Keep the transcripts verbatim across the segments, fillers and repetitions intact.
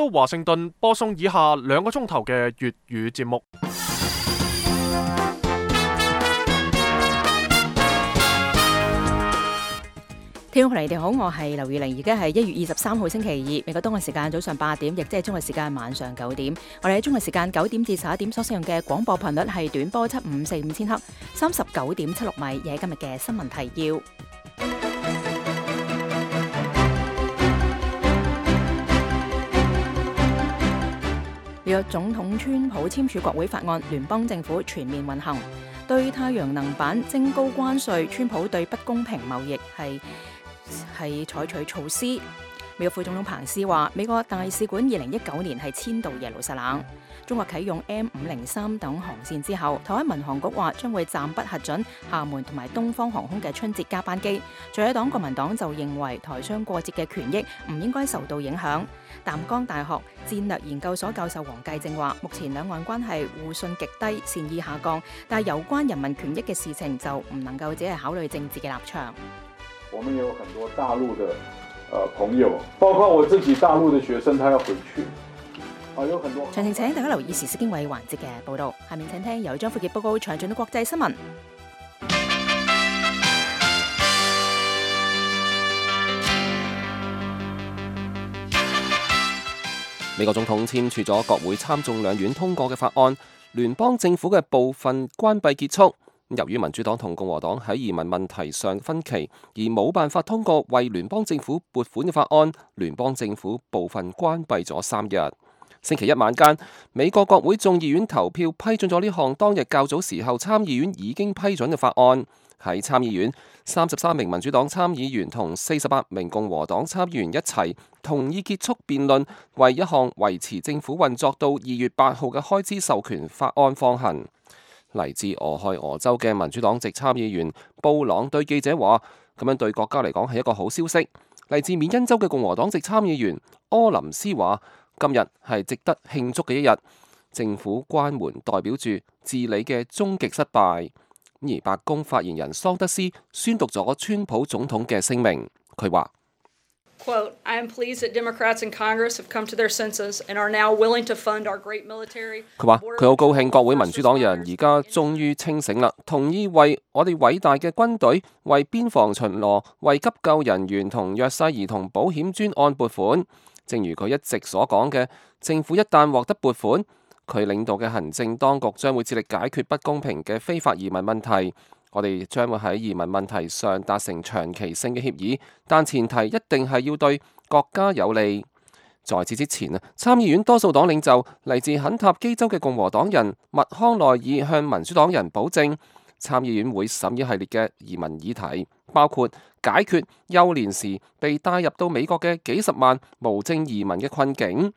到華盛頓播送以下兩個鐘頭嘅粵語節目。聽眾朋友你哋好，我係劉宇玲，而家係一月二十三號星期二，美國東岸時間早上八點，亦即係中國時間晚上九點。我哋喺中國時間九點至十一點所使用嘅廣播頻率係短波七五四五千赫，三十九點七六米。而喺今日嘅新聞提要，美國總統川普簽署國會法案，聯邦政府全面運行。對太陽能板徵高關稅，川普對不公平貿易係係採取措施。美國副總統彭斯話，美國大使館二零一九年係遷到耶路撒冷。中國啟用 M 五零三等航線之後，台灣民航局話將會暫不核准廈門同埋東方航空嘅春節加班機。在野黨國民黨就認為台商過節嘅權益唔應該受到影響。淡江大學戰略研究所教授黃繼正話，目前兩岸關係互信極低，善意下降，但係有關人民權益嘅事情就唔能夠只係考慮政治嘅立場。我們有很多大陸的呃朋友，包括我自己大陸的學生，他要回去。啊，有很多。詳情請大家留意時事經緯環節嘅報道。下面請聽由張富傑報告詳盡嘅國際新聞。美國總統簽署咗國會參眾兩院通過嘅法案，聯邦政府嘅部分關閉結束。由於民主黨同共和黨喺移民問題上分歧，而冇辦法通過為聯邦政府撥款嘅法案，聯邦政府部分關閉咗三日。星期一晚間，美國國會眾議院投票批准咗呢項當日較早時候參議院已經批准嘅法案。喺參議院，三十三名民主黨參議員同四十八名共和黨參議員一齊同意結束辯論，為一項維持政府運作到二月八號嘅開支授權法案放行。嚟自俄亥俄州嘅民主黨籍參議員布朗對記者話，咁樣對國家嚟講係一個好消息。嚟自緬因州嘅共和黨籍參議員柯林斯話，今日係值得慶祝嘅一日，政府關門代表住治理嘅終極失敗。而白宮發言人桑德斯宣讀咗川普總統嘅聲明，佢話：Quote, I am pleased that Democrats in Congress have come to their senses and are now willing to fund our great military. 佢話佢好高興國會民主黨人而家終於清醒啦，同意為我哋偉大嘅軍隊、為邊防巡邏、為急救人員同弱勢兒童保險專案撥款。正如佢一直所講嘅，政府一旦獲得撥款，佢領導嘅行政當局將會致力解決不公平嘅非法移民問題。我哋將會喺移民問題上達成長期性嘅協議，但前提一定係要對國家有利。在此之前啊，參議院多數黨領袖嚟自肯塔基州嘅共和黨人麥康奈爾向民主黨人保證，參議院會審議系列嘅移民議題，包括解決幼年時被帶入到美國嘅幾十萬無證移民嘅困境。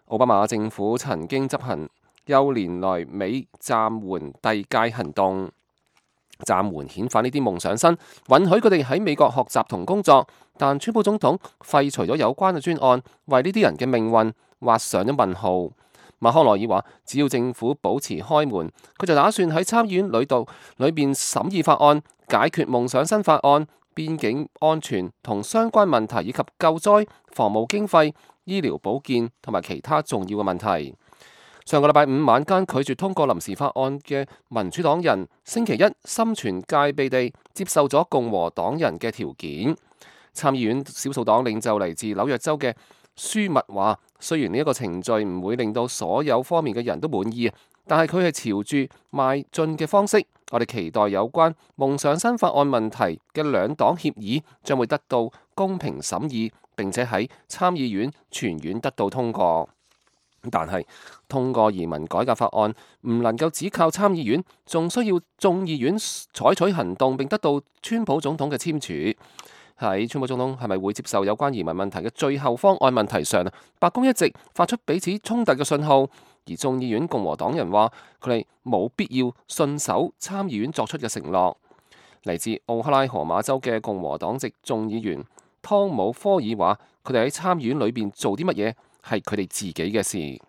奧巴馬政府曾經執行幼年來美暫緩遞解行動，暫緩遣返呢啲夢想生，允許佢哋喺美國學習同工作。但川普總統廢除咗有關嘅專案，為呢啲人嘅命運畫上咗問號。麥康奈爾話，只要政府保持開門，佢就打算喺參議院裏度裏邊審議法案，解決夢想生法案、邊境安全同相關問題，以及救災、防務經費、醫療保健同埋其他重要嘅問題。上個禮拜五晚間拒絕通過臨時法案嘅民主黨人，星期一心存戒備地接受咗共和黨人嘅條件。參議院少數黨領袖嚟自紐約州嘅舒密話，雖然呢一個程序唔會令到所有方面嘅人都滿意，但係佢係朝住邁進嘅方式。我哋期待有關夢想生法案問題嘅兩黨協議將會得到公平審議，並且喺參議院全院得到通過。但係通過移民改革法案唔能夠只靠參議院，仲需要眾議院採取行動，並得到川普總統嘅簽署。喺川普總統係咪會接受有關移民問題嘅最後方案問題上，白宮一直發出彼此衝突嘅信號，而眾議院共和黨人話佢哋冇必要信守參議院作出嘅承諾。嚟自奧克拉荷馬州嘅共和黨籍眾議員湯姆科爾話，佢哋喺參議院裏邊做啲乜嘢係佢哋自己嘅事。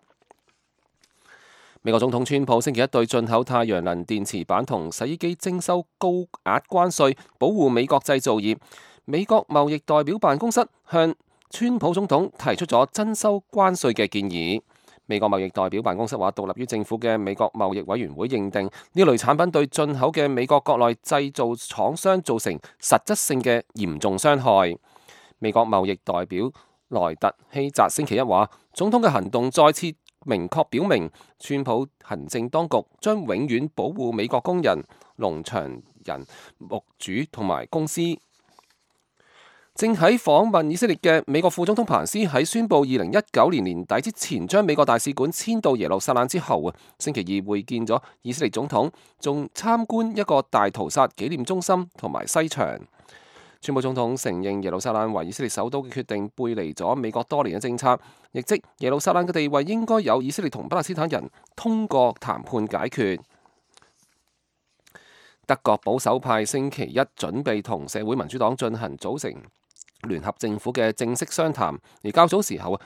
美國總統川普星期一對進口太陽能電池板同洗衣機徵收高額關稅，保護美國製造業。美國貿易代表辦公室向川普總統提出咗增收關稅嘅建議。美國貿易代表辦公室話，獨立於政府嘅美國貿易委員會認定呢類產品對進口嘅美國國內製造廠商造成實質性嘅嚴重傷害。美國貿易代表萊特希澤星期一話，總統嘅行動再次明確表明，川普行政當局將永遠保護美國工人、農場人、牧主同埋公司。正喺訪問以色列嘅美國副總統彭斯喺宣布二零一九年年底之前將美國大使館遷到耶路撒冷之後啊，星期二會見咗以色列總統，仲參觀一個大屠殺紀念中心同埋西牆。川普總統承認耶路撒冷為以色列首都嘅決定背離咗美國多年嘅政策，亦即耶路撒冷嘅地位應該由以色列同巴勒斯坦人通過談判解決。德國保守派星期一準備同社會民主黨進行組成聯合政府嘅正式商談，而較早時候啊，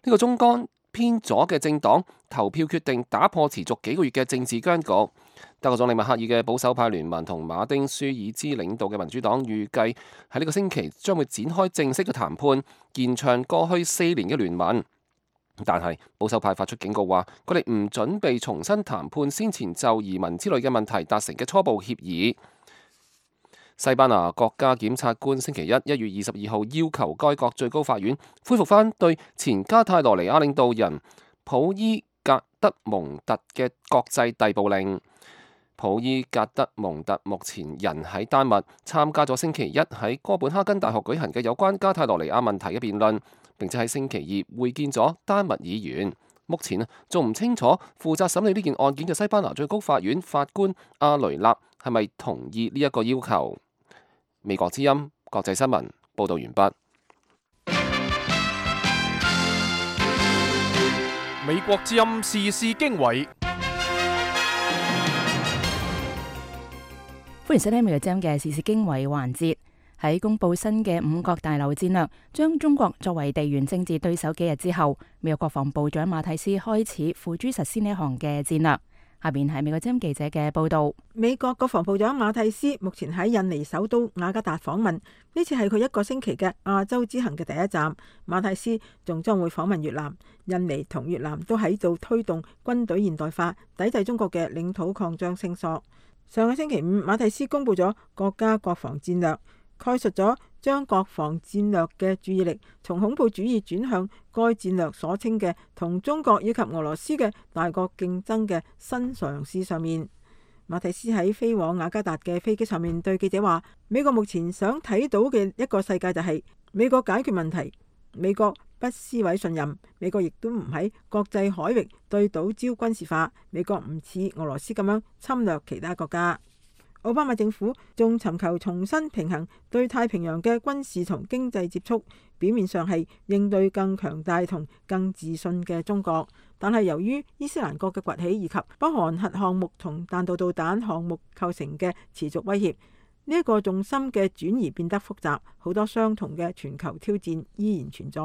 呢個中間偏左嘅政黨投票決定打破持續幾個月嘅政治僵局。德國總理默克爾嘅保守派聯盟同馬丁舒爾茲領導嘅民主黨預計喺呢個星期將會展開正式嘅談判，延長過去四年嘅聯盟。但係保守派發出警告話，佢哋唔準備重新談判先前就移民之類嘅問題達成嘅初步協議。西班牙國家檢察官星期一一月二十二號要求該國最高法院恢復返對前加泰羅尼亞領導人普伊格德蒙特嘅國際逮捕令。普伊格德蒙特目前人喺丹麥，參加咗星期一喺哥本哈根大學舉行嘅有關加泰羅尼亞問題嘅辯論，並且喺星期二會見咗丹麥議員。目前仲唔清楚負責審理呢件案件嘅西班牙最高法院法官阿雷納係咪同意呢一個要求。美國之音國際新聞報道完畢。美國之音時事經緯，歡迎收聽美國之音嘅時事經緯環節。喺公布新嘅五角大樓戰略，將中國作為地緣政治對手幾日之後，美國國防部長馬蒂斯開始付諸實施呢項嘅戰略。下邊係美國之音記者嘅報道。美國國防部長馬蒂斯目前喺印尼首都雅加達訪問，呢次係佢一個星期嘅亞洲之行嘅第一站。馬蒂斯仲將會訪問越南。印尼同越南都喺度推動軍隊現代化，抵制中國嘅領土擴張聲索。上個星期五，馬蒂斯公布咗國家國防戰略，概述咗將國防戰略嘅注意力從恐怖主義轉向該戰略所稱嘅同中國以及俄羅斯嘅大國競爭嘅新嘗試上面。馬蒂斯喺飛往雅加達嘅飛機上面對記者話：美國目前想睇到嘅一個世界就係美國解決問題，美國不撕毀信任，美國亦都唔喺國際海域對島礁軍事化，美國唔似俄羅斯咁樣侵略其他國家。奧巴馬政府仲尋求重新平衡對太平洋嘅軍事同經濟接觸，表面上係應對更強大同更自信嘅中國，但係由於伊斯蘭國嘅崛起以及北韓核項目同彈道導彈項目構成嘅持續威脅，呢一個重心嘅轉移變得複雜，好多相同嘅全球挑戰依然存在。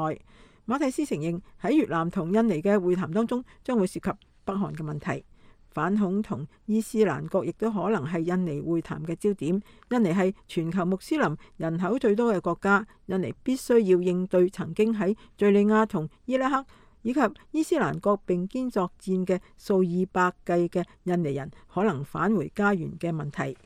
馬蒂斯承認喺越南同印尼嘅會談當中將會涉及北韓嘅問題。反恐同伊斯蘭國亦都可能係印尼會談嘅焦點。印尼係全球穆斯林人口最多嘅國家，印尼必須要應對曾經喺敘利亞同伊拉克以及伊斯蘭國並肩作戰嘅數以百計嘅印尼人可能返回家園嘅問題。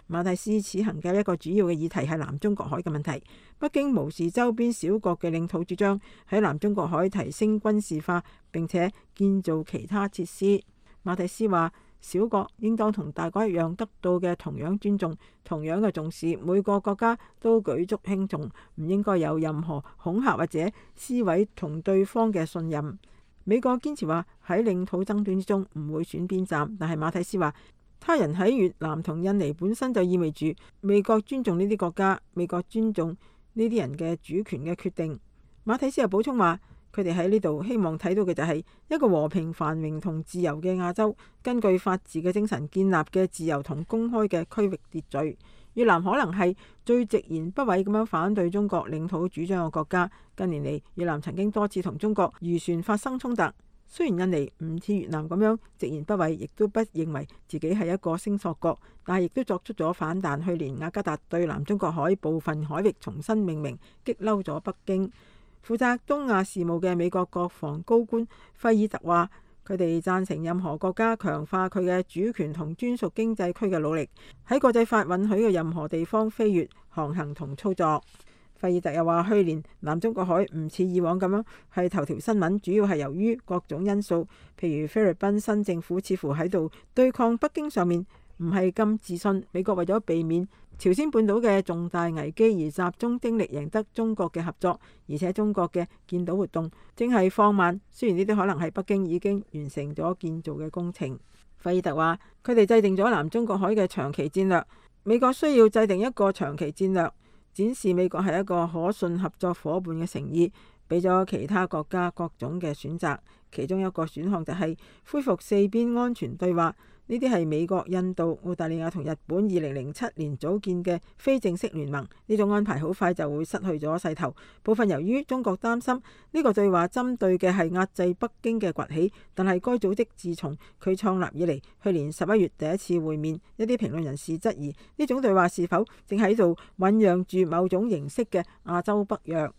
馬蒂斯此行嘅一個主要嘅議題係南中國海嘅問題。北京無視周邊小國嘅領土主張，喺南中國海提升軍事化並且建造其他設施。馬蒂斯話：小國應當同大國一樣得到嘅同樣尊重、同樣嘅重視，每個國家都舉足輕重，唔應該有任何恐嚇或者撕毀同對方嘅信任。美國堅持話喺領土爭端之中唔會選邊站，但係馬蒂斯話，他人喺越南同印尼本身就意味住美國尊重呢啲國家，美國尊重呢啲人嘅主權嘅決定。馬蒂斯又補充話，佢哋喺呢度希望睇到嘅就係一個和平繁榮同自由嘅亞洲，根據法治嘅精神建立嘅自由同公開嘅區域秩序。越南可能係最直言不諱咁樣反對中國領土主張嘅國家。近年嚟，越南曾經多次同中國漁船發生衝突。雖然印尼唔似越南咁樣直言不諱，亦都不認為自己係一個聲索國，但係亦都作出咗反彈。去年雅加達對南中國海部分海域重新命名，激嬲咗北京。負責東亞事務嘅美國國防高官費爾特話，佢哋贊成任何國家強化佢嘅主權同專屬經濟區嘅努力，喺國際法允許嘅任何地方飛越、航行同操作。費爾特又話，去年南中國海唔似以往咁樣係頭條新聞，主要係由於各種因素，譬如菲律賓新政府似乎喺度對抗北京上面唔係咁自信。美國為咗避免朝鮮半島嘅重大危機而集中精力贏得中國嘅合作，而且中國嘅建島活動正係放慢，雖然呢啲可能係北京已經完成咗建造嘅工程。費爾特話，佢哋制定咗南中國海嘅長期戰略，美國需要制定一個長期戰略，展示美國係一個可信合作伙伴嘅誠意，俾咗其他國家各種嘅選擇。其中一個選項就係恢復四邊安全對話。呢啲係美國、印度、澳大利亞同日本二零零七年組建嘅非正式聯盟。呢種安排好快就會失去咗勢頭。部分由於中國擔心呢個對話針對嘅係壓制北京嘅崛起，但係該組織自從佢創立以嚟，去年十一月第一次會面，一啲評論人士質疑呢種對話是否正喺度醖釀住某種形式嘅亞洲北約。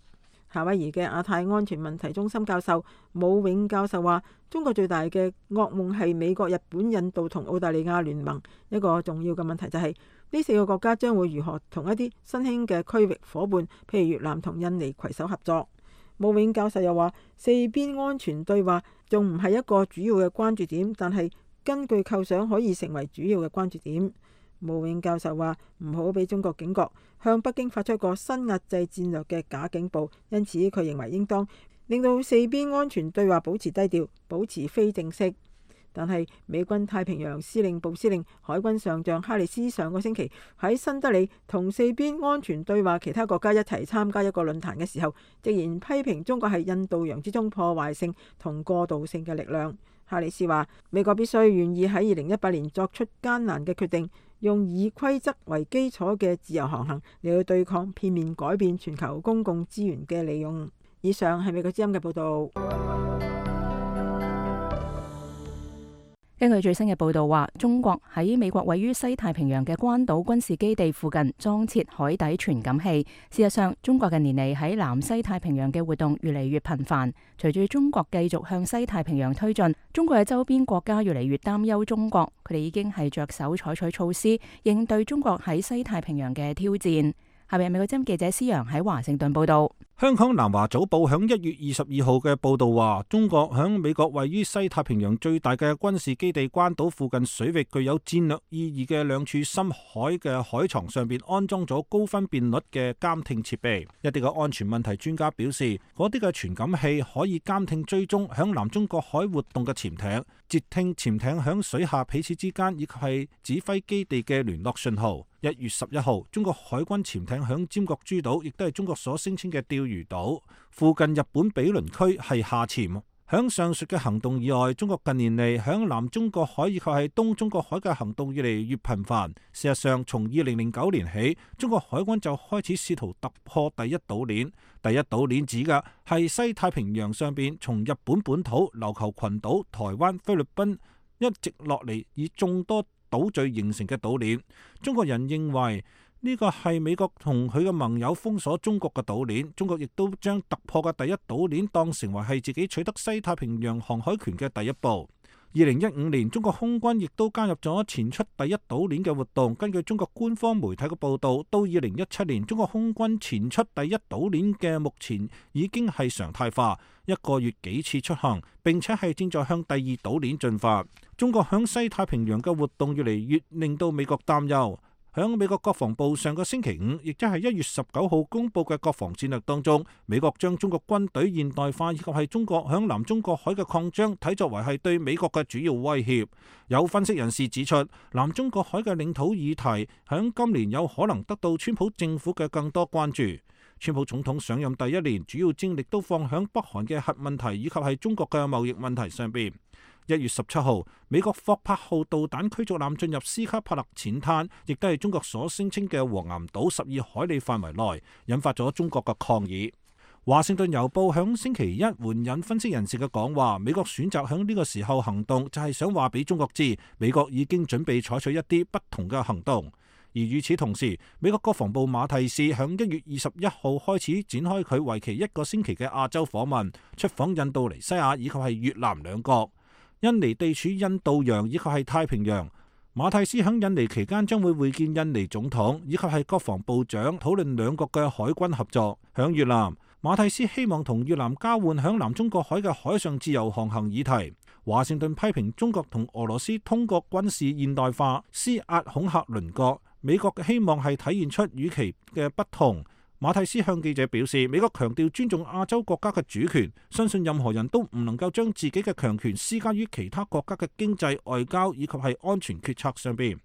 夏威夷嘅亞太安全問題中心教授武永教授話，中國最大嘅噩夢係美國、日本、印度同澳大利亞聯盟。一個重要嘅問題就係、是、呢四個國家將會如何同一啲新興嘅區域伙伴，譬如越南同印尼攜手合作。武永教授又話，四邊安全對話仲唔係一個主要嘅關注點，但係根據構想可以成為主要嘅關注點。武永教授話，唔好俾中國警覺，向北京發出一個新壓制戰略嘅假警報，因此佢認為應當令到四邊安全對話保持低調，保持非正式。但係美軍太平洋司令部司令海軍上將哈里斯上個星期喺新德里同四邊安全對話其他國家一齊參加一個論壇嘅時候，直言批評中國係印度洋之中破壞性同過渡性嘅力量。哈里斯話，美國必須願意喺二零一八年作出艱難嘅決定，用以規則為基礎嘅自由航行嚟去對抗片面改變全球公共資源嘅利用。以上係美國之音嘅報導。根據最新嘅報導話，中國喺美國位於西太平洋嘅關島軍事基地附近裝設海底傳感器。事實上，中國近年嚟喺南西太平洋嘅活動越嚟越頻繁。隨住中國繼續向西太平洋推進，中國嘅周邊國家越嚟越擔憂中國，佢哋已經係着手採取措施應對中國喺西太平洋嘅挑戰。下面美國之音記者施洋喺華盛頓報導。香港南華早報響一月二十二號嘅報導話，中國響美國位於西太平洋最大嘅軍事基地關島附近水域具有戰略意義嘅兩處深海嘅海床上邊安裝咗高分辨率嘅監聽設備。一啲嘅安全問題專家表示，嗰啲嘅傳感器可以監聽追蹤響南中國海活動嘅潛艇，截聽潛艇響水下彼此之間以及係指揮基地嘅聯絡信號。一月十一號，中國海軍潛艇響尖閣諸島，亦都係中國所聲稱嘅釣魚島附近日本毗鄰區係下潛。響上述嘅行動以外，中國近年嚟響南中國海以及係東中國海嘅行動越嚟越頻繁。事實上，從二零零九年起，中國海軍就開始試圖突破第一島鏈。第一島鏈指嘅係西太平洋上邊從日本本土、琉球群島、台灣、菲律賓一直落嚟以眾多島嶼形成嘅島鏈。中國人認為呢個係美國同佢嘅盟友封鎖中國嘅島鏈，中國亦都將突破嘅第一島鏈當成為係自己取得西太平洋航海權嘅第一步。二零一五年，中國空軍亦都加入咗前出第一島鏈嘅活動。根據中國官方媒體嘅報道，到二零一七年，中國空軍前出第一島鏈嘅目前已經係常態化，一個月幾次出行，並且係正在向第二島鏈進發。中國響西太平洋嘅活動越嚟越令到美國擔憂。響美國國防部上個星期五，亦即係一月十九號公布嘅國防戰略當中，美國將中國軍隊現代化以及係中國響南中國海嘅擴張睇作為係對美國嘅主要威脅。有分析人士指出，南中國海嘅領土議題響今年有可能得到川普政府嘅更多關注。川普總統上任第一年，主要精力都放響北韓嘅核問題以及係中國嘅貿易問題上邊。一月十七號，美國霍柏號導彈驅逐艦進入斯卡帕勒淺灘，亦都係中國所聲稱嘅黃岩島十二海里範圍內，引發咗中國嘅抗議。華盛頓郵報響星期一援引分析人士嘅講話，美國選擇響呢個時候行動，就係想話俾中國知，美國已經準備採取一啲不同嘅行動。而與此同時，美國國防部馬蒂斯響一月二十一號開始展開佢為期一個星期嘅亞洲訪問，出訪印度尼西亞以及係越南兩國。印尼地處印度洋以及係太平洋。馬蒂斯響印尼期間將會會見印尼總統以及係國防部長，討論兩國嘅海軍合作。響越南，馬蒂斯希望同越南交換響南中國海嘅海上自由航行議題。華盛頓批評中國同俄羅斯通過軍事現代化施壓恐嚇鄰國，美國嘅希望係體現出與其嘅不同。馬蒂斯向記者表示，美國強調尊重亞洲國家嘅主權，相信任何人都唔能夠將自己嘅強權施加於其他國家嘅經濟、外交以及係安全決策上邊。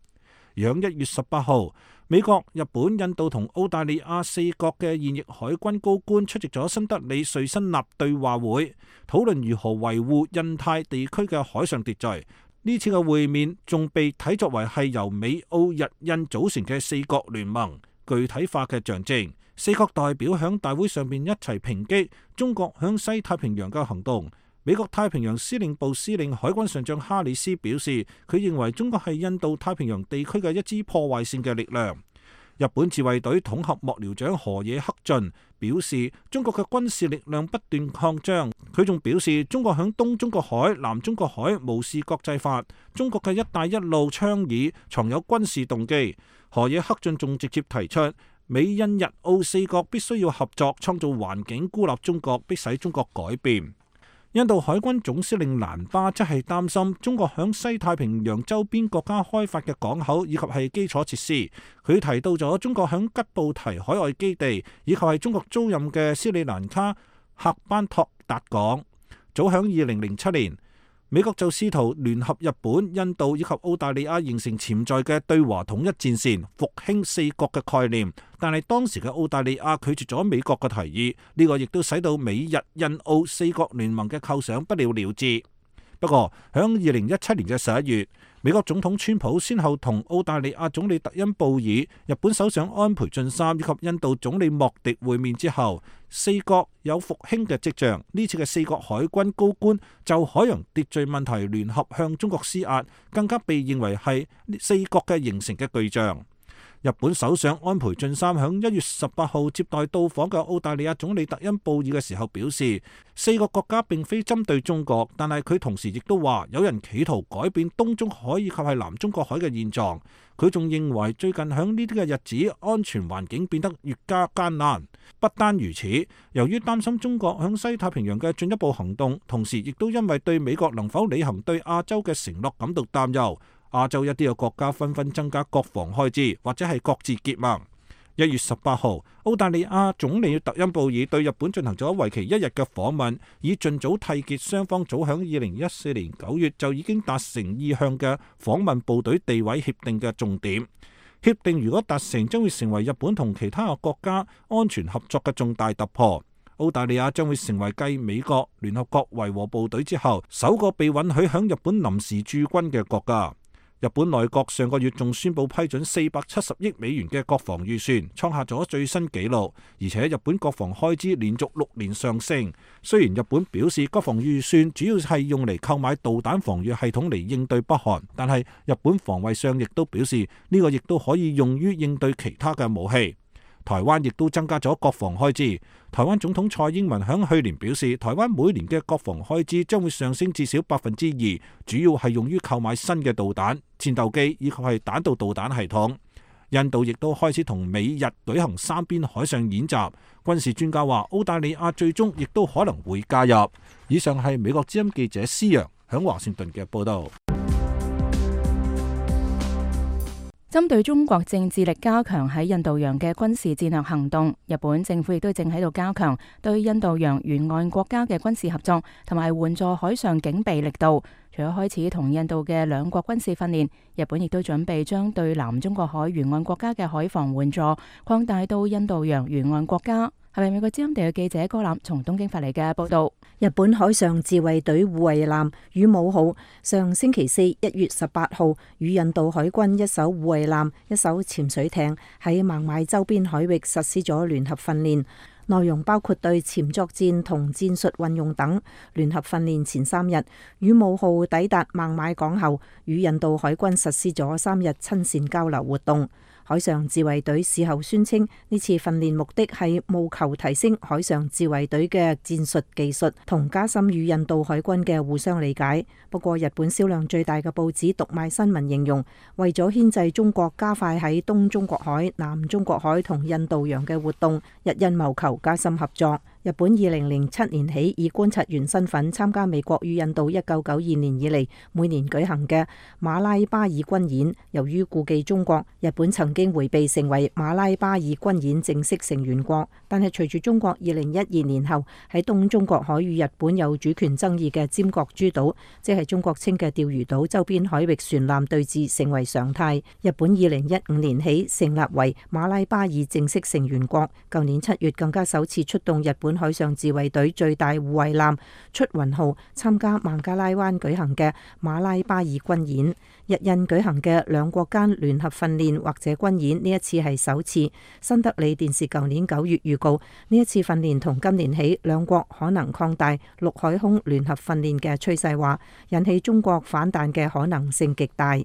而響一月十八號，美國、日本、印度同澳大利亞四國嘅現役海軍高官出席咗新德里瑞辛納對話會，討論如何維護印太地區嘅海上秩序。呢次嘅會面仲被睇作為係由美、澳、日、印組成嘅四國聯盟具體化嘅象徵。四國代表響大會上面一齊抨擊中國響西太平洋嘅行動。美國太平洋司令部司令海軍上將哈里斯表示，佢認為中國係印度太平洋地區嘅一支破壞性嘅力量。日本自衛隊統合幕僚長河野克俊表示，中國嘅軍事力量不斷擴張。佢仲表示，中國響東中國海、南中國海無視國際法，中國嘅一帶一路倡議藏有軍事動機。河野克俊仲直接提出，美印日澳四國必須要合作，創造環境孤立中國，迫使中國改變。印度海軍總司令蘭巴則係擔心中國響西太平洋周邊國家開發嘅港口以及係基礎設施。佢提到咗中國響吉布提海外基地以及係中國租賃嘅斯里蘭卡喀班托達港。早響二零零七年，美國就試圖聯合日本、印度以及澳大利亞形成潛在嘅對華統一戰線，復興四國嘅概念。但係當時嘅澳大利亞拒絕咗美國嘅提議，呢個亦都使到美日印澳四國聯盟嘅構想不了了之。不過響二零一七年嘅十一月，美國總統川普先後同澳大利亞總理特恩布爾、日本首相安倍晉三以及印度總理莫迪會面之後，四國有復興嘅跡象。呢次嘅四國海軍高官就海洋秩序問題聯合向中國施壓，更加被認為係四國嘅形成嘅巨象。日本首相安倍晉三響一月十八號接待到訪嘅澳大利亞總理特恩布爾嘅時候表示，四個國家並非針對中國，但係佢同時亦都話有人企圖改變東中海以及係南中國海嘅現狀。佢仲認為最近響呢啲嘅日子，安全環境變得越加艱難。不單如此，由於擔心中國響西太平洋嘅進一步行動，同時亦都因為對美國能否履行對亞洲嘅承諾感到擔憂。亞洲一啲嘅國家紛紛增加國防開支，或者係各自結盟。一月十八號，澳大利亞總理特恩布爾對日本進行咗為期一日嘅訪問，以盡早締結雙方早響二零一四年九月就已經達成意向嘅訪問部隊地位協定嘅重點。協定如果達成，將會成為日本同其他嘅國家安全合作嘅重大突破。澳大利亞將會成為繼美國、聯合國維和部隊之後，首個被允許響日本臨時駐軍嘅國家。日本內閣上個月仲宣布批准四百七十億美元嘅國防預算，創下咗最新紀錄。而且日本國防開支連續六年上升。雖然日本表示國防預算主要係用嚟購買導彈防禦系統嚟應對北韓，但係日本防衛相亦都表示呢個亦都可以用於應對其他嘅武器。台灣亦都增加咗國防開支。台灣總統蔡英文響去年表示，台灣每年嘅國防開支將會上升至少百分之二，主要係用於購買新嘅導彈、戰鬥機以及係彈道導彈系統。印度亦都開始同美日舉行三邊海上演習。軍事專家話，澳大利亞最終亦都可能會加入。以上係美國之音記者施洋響華盛頓嘅報道。針對中國正致力加強喺印度洋嘅軍事戰略行動，日本政府亦都正喺度加強對印度洋沿岸國家嘅軍事合作，同埋援助海上警備力度。除咗開始同印度嘅兩國軍事訓練，日本亦都準備將對南中國海沿岸國家嘅海防援助擴大到印度洋沿岸國家。係咪美國之音地嘅記者高覽從東京發嚟嘅報道？日本海上自衛隊護衛艦羽毛號上星期四一月十八號與印度海軍一艘護衛艦、一艘潛水艇喺孟買周邊海域實施咗聯合訓練，內容包括對潛作戰同戰術運用等。聯合訓練前三日，羽毛號抵達孟買港後，與印度海軍實施咗三日親善交流活動。海上自衛隊事後宣稱，呢次訓練目的係務求提升海上自衛隊嘅戰術技術，同加深與印度海軍嘅互相理解。不過，日本銷量最大嘅報紙讀賣新聞形容，為咗牽制中國加快喺東中國海、南中國海同印度洋嘅活動，日印謀求加深合作。日本二零零七年起以觀察員身份參加美國與印度一九九二年以嚟每年舉行嘅馬拉巴爾軍演。由於顧忌中國，日本曾經迴避成為馬拉巴爾軍演正式成員國。但係隨住中國二零一二年後喺東中國海與日本有主權爭議嘅尖閣諸島，即係中國稱嘅釣魚島周邊海域船艦對峙成為常態。日本二零一五年起成立為馬拉巴爾正式成員國，舊年七月更加首次出動日本海上自衛隊最大護衛艦出雲號參加孟加拉灣舉行嘅馬拉巴爾軍演。日印舉行嘅兩國間聯合訓練或者軍演，呢一次係首次。新德里電視舊年九月預告，呢一次訓練同今年起兩國可能擴大陸海空聯合訓練嘅趨勢，話引起中國反彈嘅可能性極大。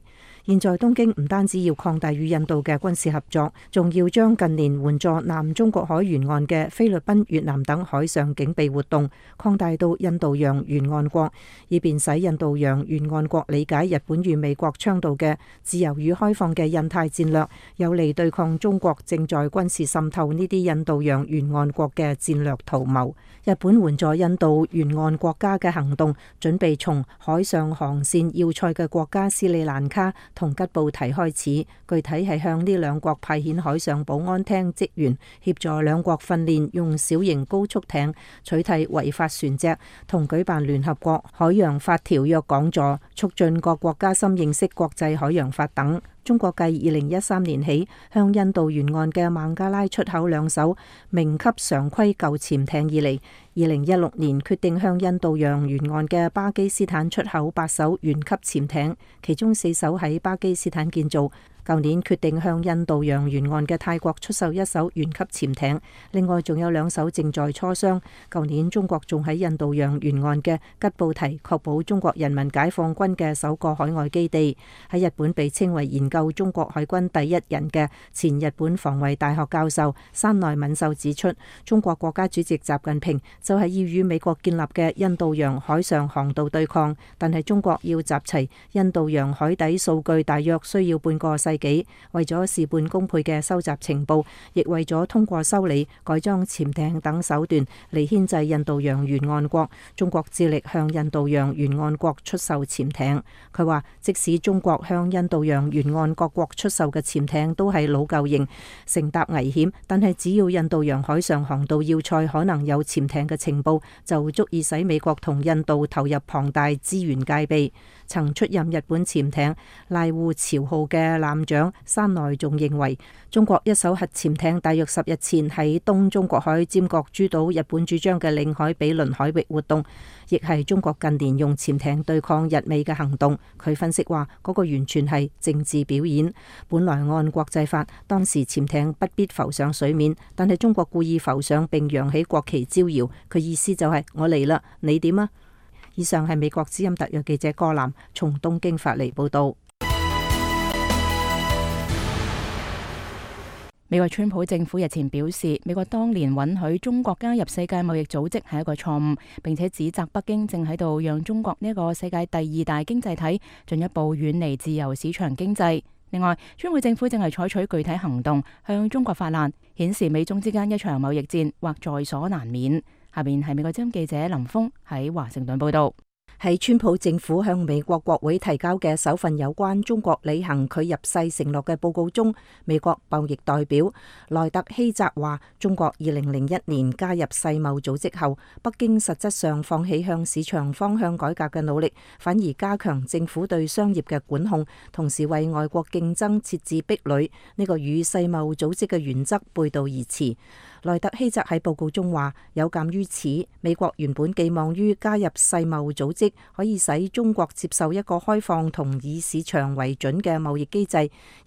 現在東京唔單止要擴大與印度嘅軍事合作，仲要將近年援助南中國海沿岸嘅菲律賓、越南等海上警備活動擴大到印度洋沿岸國，以便使印度洋沿岸國理解日本與美國倡導嘅自由與開放嘅印太戰略，有利對抗中國正在軍事滲透呢啲印度洋沿岸國嘅戰略圖謀。日本援助印度沿岸國家嘅行動，準備從海上航線要塞嘅國家斯里蘭卡同吉布提開始，具體係向呢兩國派遣海上保安廳職員，協助兩國訓練用小型高速艇取締違法船隻，同舉辦聯合國海洋法條約講座，促進各國加深認識國際海洋法等。中國繼二零一三年起向印度沿岸嘅孟加拉出口兩艘明級常規舊潛艇以嚟，二零一六年決定向印度洋沿岸嘅巴基斯坦出口八艘原級潛艇，其中四艘喺巴基斯坦建造。舊年決定向印度洋沿岸嘅泰國出售一艘原級潛艇，另外仲有兩艘正在磋商。舊年中國仲喺印度洋沿岸嘅吉布提確保中國人民解放軍嘅首個海外基地。喺日本被稱為研究中國海軍第一人嘅前日本防衛大學教授山內敏秀指出，中國國家主席習近平就係要與美國建立嘅印度洋海上航道對抗，但係中國要集齊印度洋海底數據大約需要半個世紀。為咗事半功倍嘅收集情報，亦為咗通過修理、改裝潛艇等手段嚟牽制印度洋沿岸國，中國致力向印度洋沿岸國出售潛艇。佢話，即使中國向印度洋沿岸各國出售嘅潛艇都係老舊型，乘搭危險，但係只要印度洋海上航道要塞可能有潛艇嘅情報，就足以使美國同印度投入龐大資源戒備。曾出任日本潛艇瀨戶朝號嘅艦長山內仲認為，中國一艘核潛艇大約十日前喺東中國海尖閣諸島日本主張嘅領海比鄰海域活動，亦係中國近年用潛艇對抗日美嘅行動。佢分析話，嗰個完全係政治表演。本來按國際法，當時潛艇不必浮上水面，但係中國故意浮上並揚起國旗招搖，佢意思就係我嚟啦，你點啊？以上係美國之音特約記者郭南從東京發嚟報道。美國川普政府日前表示，美國當年允許中國加入世界貿易組織係一個錯誤，並且指責北京正喺度讓中國呢一個世界第二大經濟體進一步遠離自由市場經濟。另外，川普政府正係採取具體行動向中國發難，顯示美中之間一場貿易戰或在所難免。下面係美國之音記者林峰喺華盛頓報道。喺川普政府向美國國會提交嘅首份有關中國履行佢入世承諾嘅報告中，美國貿易代表萊特希澤話，中國二零零一年加入世貿組織後，北京實質上放棄向市場方向改革嘅努力，反而加強政府對商業嘅管控，同時為外國競爭設置壁壘，呢個與世貿組織嘅原則背道而馳。萊特希澤喺報告中話，有鑑於此，美國原本寄望於加入世貿組織可以使中國接受一個開放同以市場為準嘅貿易機制，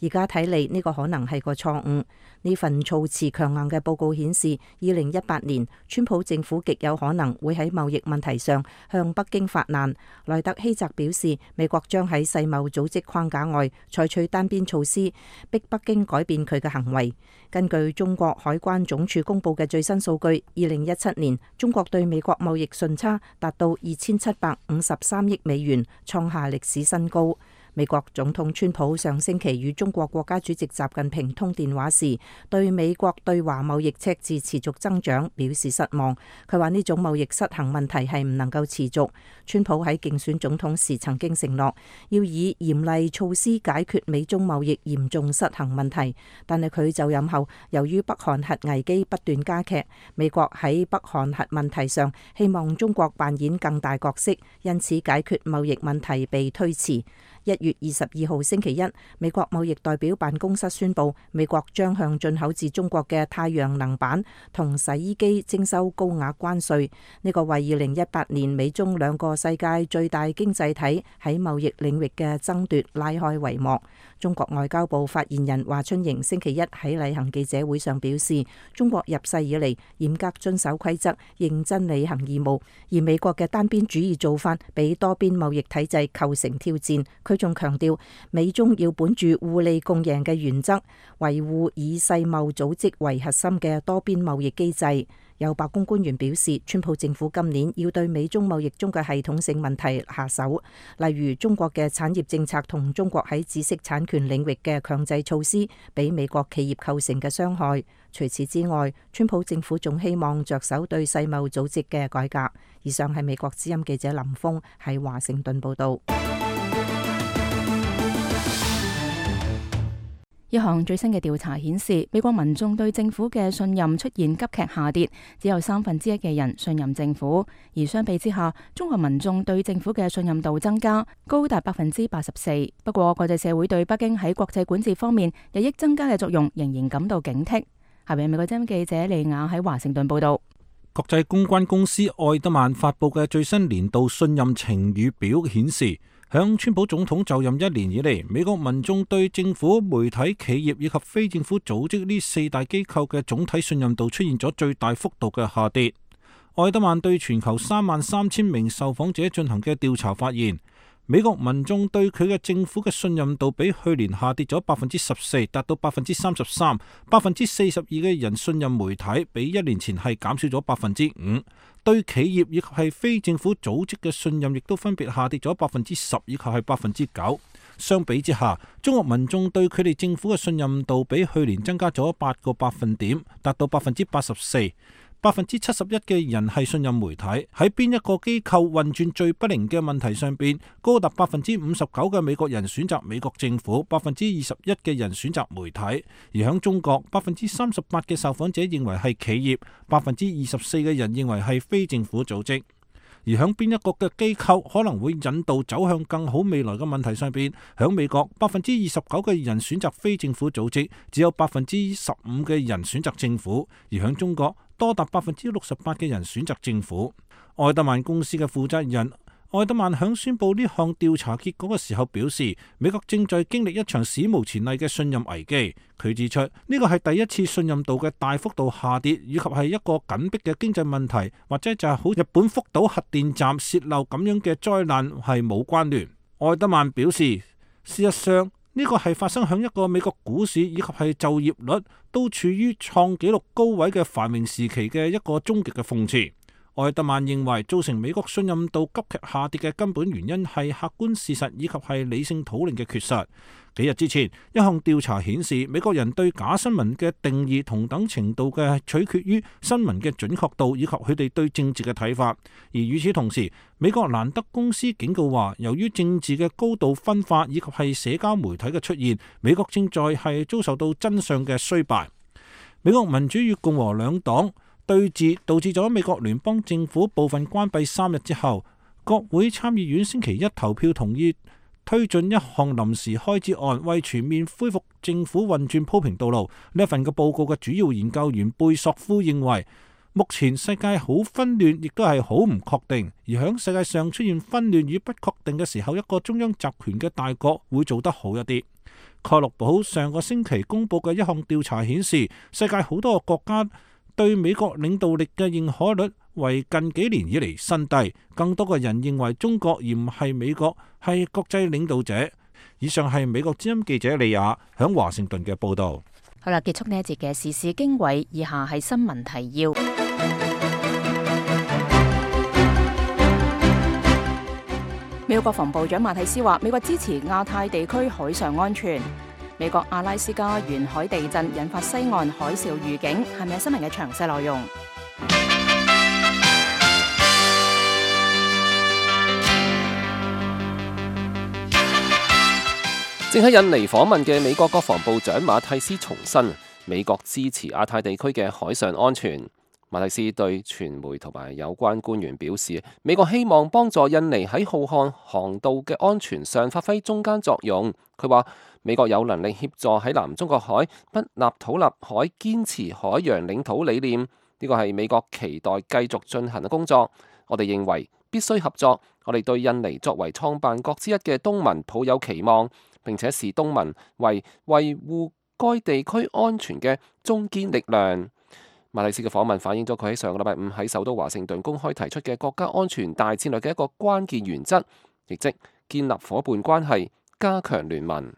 而家睇嚟呢個可能係個錯誤。呢份措辭強硬嘅報告顯示，二零一八年川普政府極有可能會喺貿易問題上向北京發難。萊特希澤表示，美國將喺世貿組織框架外採取單邊措施，逼北京改變佢嘅行為。根據中國海關總署公布嘅最新數據，二零一七年中國對美國貿易順差達到二千七百五十三億美元，創下歷史新高。美國總統川普上星期與中國國家主席習近平通電話時，對美國對華貿易赤字持續增長表示失望。佢話呢種貿易失衡問題係唔能夠持續。川普喺競選總統時曾經承諾要以嚴厲措施解決美中貿易嚴重失衡問題，但係佢就任後，由於北韓核危機不斷加劇，美國喺北韓核問題上希望中國扮演更大角色，因此解決貿易問題被推遲。一月二十二號星期一，美國貿易代表辦公室宣布，美國將向進口自中國嘅太陽能板同洗衣機徵收高額關稅。呢個為二零一八年美中兩個世界最大經濟體喺貿易領域嘅爭奪拉開帷幕。中國外交部發言人華春瑩星期一喺例行記者會上表示，中國入世以嚟嚴格遵守規則，認真履行義務，而美國嘅單邊主義做法俾多邊貿易體制構成挑戰。佢仲強調，美中要本住互利共贏嘅原則，維護以世貿組織為核心嘅多邊貿易機制。有白宮官員表示，川普政府今年要對美中貿易中嘅系統性問題下手，例如中國嘅產業政策同中國喺知識產權領域嘅強制措施，俾美國企業構成嘅傷害。除此之外，川普政府仲希望着手對世貿組織嘅改革。以上係美國之音記者林峰喺華盛頓報道。一項最新嘅調查顯示，美國民眾對政府嘅信任出現急劇下跌，只有三分之一嘅人信任政府。而相比之下，中國民眾對政府嘅信任度增加，高達百分之八十四。不過，國際社會對北京喺國際管治方面日益增加嘅作用仍然感到警惕。下邊美國之音記者利亞喺華盛頓報道。國際公關公司愛德曼發佈嘅最新年度信任晴雨表顯示，響川普總統就任一年以嚟，美國民眾對政府、媒體、企業以及非政府組織呢四大機構嘅總體信任度出現咗最大幅度嘅下跌。愛德曼對全球三萬三千名受訪者進行嘅調查發現，美國民眾對佢嘅政府嘅信任度比去年下跌咗百分之十四，達到百分之三十三。百分之四十二嘅人信任媒體，比一年前係減少咗百分之五。對企業以及係非政府組織嘅信任亦都分別下跌咗百分之十以及係百分之九。相比之下，中國民眾對佢哋政府嘅信任度比去年增加咗八個百分點，達到百分之八十四。百分之七十一嘅人係信任媒體，喺邊一個機構運轉最不靈嘅問題上邊，高達百分之五十九嘅美國人選擇美國政府，百分之二十一嘅人選擇媒體。而喺中國，百分之三十八嘅受訪者認為係企業，百分之二十四嘅人認為係非政府組織。而喺邊一個嘅機構可能會引導走向更好未來嘅問題上邊，喺美國百分之二十九嘅人選擇非政府組織，只有百分之十五嘅人選擇政府。而喺中國，多達百分之六十八嘅人選擇政府。愛德曼公司嘅負責人愛德曼響宣布呢項調查結果嘅時候表示，美國正在經歷一場史無前例嘅信任危機。佢指出，呢個係第一次信任度嘅大幅度下跌，以及係一個緊迫嘅經濟問題，或者就係好日本福島核電站洩漏咁樣嘅災難係冇關聯。愛德曼表示，事實上呢個係發生響一個美國股市以及係就業率都處於創紀錄高位嘅繁榮時期嘅一個終極嘅諷刺。愛德曼認為，造成美國信任度急劇下跌嘅根本原因係客觀事實以及係理性討論嘅缺失。幾日之前，一項調查顯示，美國人對假新聞嘅定義同等程度嘅取決於新聞嘅準確度以及佢哋對政治嘅睇法。而與此同時，美國蘭德公司警告話，由於政治嘅高度分化以及係社交媒體嘅出現，美國正在係遭受到真相嘅衰敗。美國民主與共和兩黨對峙導致咗美國聯邦政府部分關閉三日之後，國會參議院星期一投票同意推進一項臨時開支案，為全面恢復政府運轉鋪平道路。呢一份嘅報告嘅主要研究員貝索夫認為，目前世界好紛亂，亦都係好唔確定。而響世界上出現紛亂與不確定嘅時候，一個中央集權嘅大國會做得好一啲。蓋洛普上個星期公佈嘅一項調查顯示，世界好多個國家對美國領導力嘅認可率為近幾年以嚟新低。更多嘅人認為中國而唔係美國係國際領導者。以上係美國之音記者李亞響華盛頓嘅報導。好啦，結束呢一節嘅時事經緯，以下係新聞提要。美國國防部長馬蒂斯話，美國支持亞太地區海上安全。美國阿拉斯加沿海地震引發西岸海嘯預警，係咪新聞嘅詳細內容？正喺印尼訪問嘅美國國防部長馬蒂斯重申，美國支持亞太地區嘅海上安全。馬蒂斯對傳媒同埋有關官員表示，美國希望幫助印尼喺浩瀚航道嘅安全上發揮中間作用。佢話美國有能力協助喺南中國海不立土立海堅持海洋領土理念，呢個係美國期待繼續進行嘅工作。我哋認為必須合作。我哋對印尼作為創辦國之一嘅東盟抱有期望，並且視東盟為維護該地區安全嘅中堅力量。馬蒂斯嘅訪問反映咗佢喺上個禮拜五喺首都華盛頓公開提出嘅國家安全大戰略嘅一個關鍵原則，亦即建立伙伴關係，加強聯盟。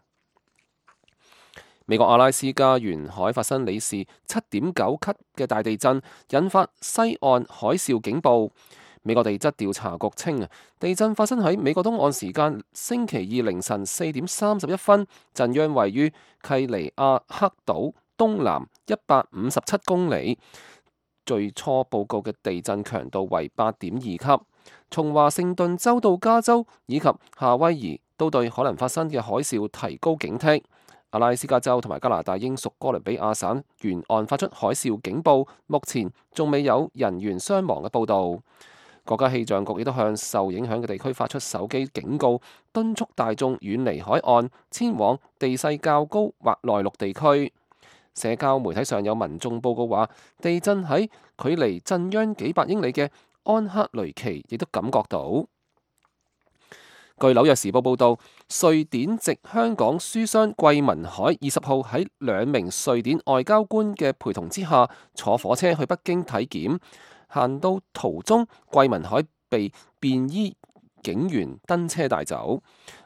美國阿拉斯加沿海發生里氏七點九級嘅大地震，引發西岸海嘯警報。美國地質調查局稱啊，地震發生喺美國東岸時間星期二凌晨四點三十一分，震央位於契尼亞克島東南一百五十七公里，最初報告嘅地震強度為八點二級。從華盛頓州到加州以及夏威夷都對可能發生嘅海嘯提高警惕。阿拉斯加州同埋加拿大英屬哥倫比亞省沿岸發出海嘯警報，目前仲未有人員傷亡嘅報導。國家氣象局亦都向受影響嘅地區發出手機警告，敦促大眾遠離海岸，遷往地勢較高或內陸地區。社交媒體上有民眾報告話，地震喺距離震央幾百英里嘅安克雷奇亦都感覺到。據紐約時報報導，瑞典籍香港書商桂民海二十號喺兩名瑞典外交官嘅陪同之下，坐火車去北京體檢。行到途中，桂民海被便衣警員登車帶走。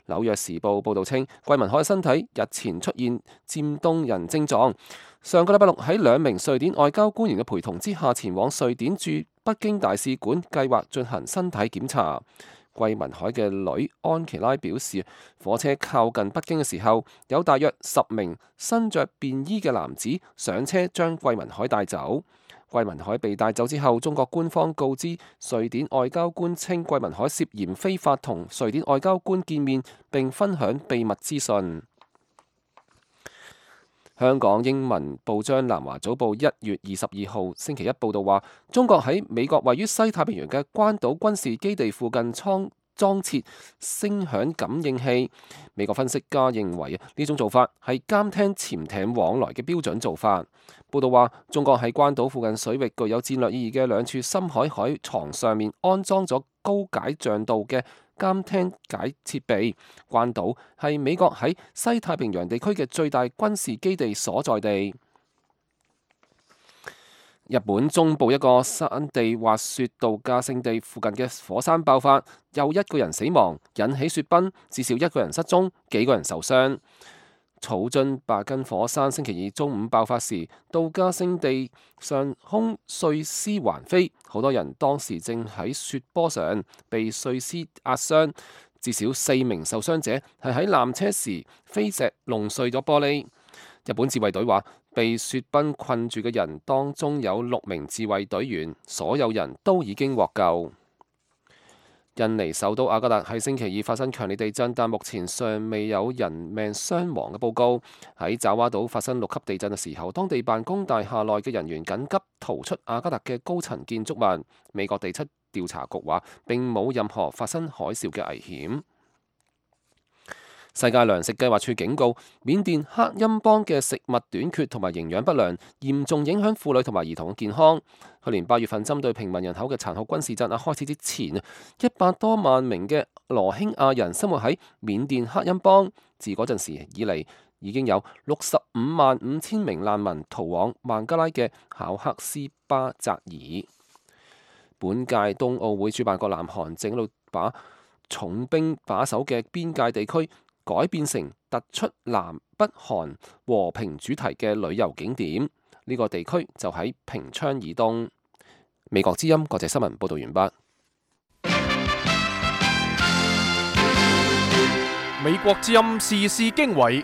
紐約時報報導稱，桂民海身體日前出現漸凍人症狀，上個禮拜六喺兩名瑞典外交官員嘅陪同之下，前往瑞典駐北京大使館，計劃進行身體檢查。桂民海嘅女安琪拉表示，火車靠近北京嘅時候，有大約十名身着便衣嘅男子上車將桂民海帶走。桂民海被帶走之後，中國官方告知瑞典外交官稱，桂民海涉嫌非法同瑞典外交官見面並分享秘密資訊。香港英文報章南華早報一月二十二號星期一報道話，中國喺美國位於西太平洋嘅關島軍事基地附近倉裝設聲響感應器。美國分析家認為呢種做法係監聽潛艇往來嘅標準做法。報道話，中國喺關島附近水域具有戰略意義嘅兩處深海海床上面安裝咗高解像度嘅監聽解設備。關島係美國喺西太平洋地區嘅最大軍事基地所在地。日本中部一個山地滑雪度假勝地附近嘅火山爆發，又一個人死亡，引起雪崩，至少一個人失蹤，幾個人受傷。草津白根火山星期二中午爆發時，度假勝地上空碎屍橫飛，好多人當時正喺雪坡上被碎屍壓傷，至少四名受傷者係喺纜車時飛石弄碎咗玻璃。日本自衛隊話，被雪崩困住嘅人當中有六名自衛隊員，所有人都已經獲救。印尼首都雅加達喺星期二發生強烈地震，但目前尚未有人命傷亡嘅報告。喺爪哇島發生六級地震嘅時候，當地辦公大廈內嘅人員緊急逃出雅加達嘅高層建築物。美國地質調查局話，並冇任何發生海嘯嘅危險。世界糧食計劃署警告，緬甸克欽邦嘅食物短缺同埋營養不良，嚴重影響婦女同埋兒童嘅健康。去年八月份針對平民人口嘅殘酷軍事鎮壓開始之前，一百多萬名嘅羅興亞人生活喺緬甸克欽邦。自嗰陣時以嚟，已經有六十五萬五千名難民逃往孟加拉嘅考克斯巴扎爾。本屆冬奧會主辦國南韓正喺度把重兵把守嘅邊界地區改變成突出南北韓和平主題嘅旅遊景點，呢、這個地區就喺平昌以東。美國之音國際新聞報道完畢。美國之音時事經緯，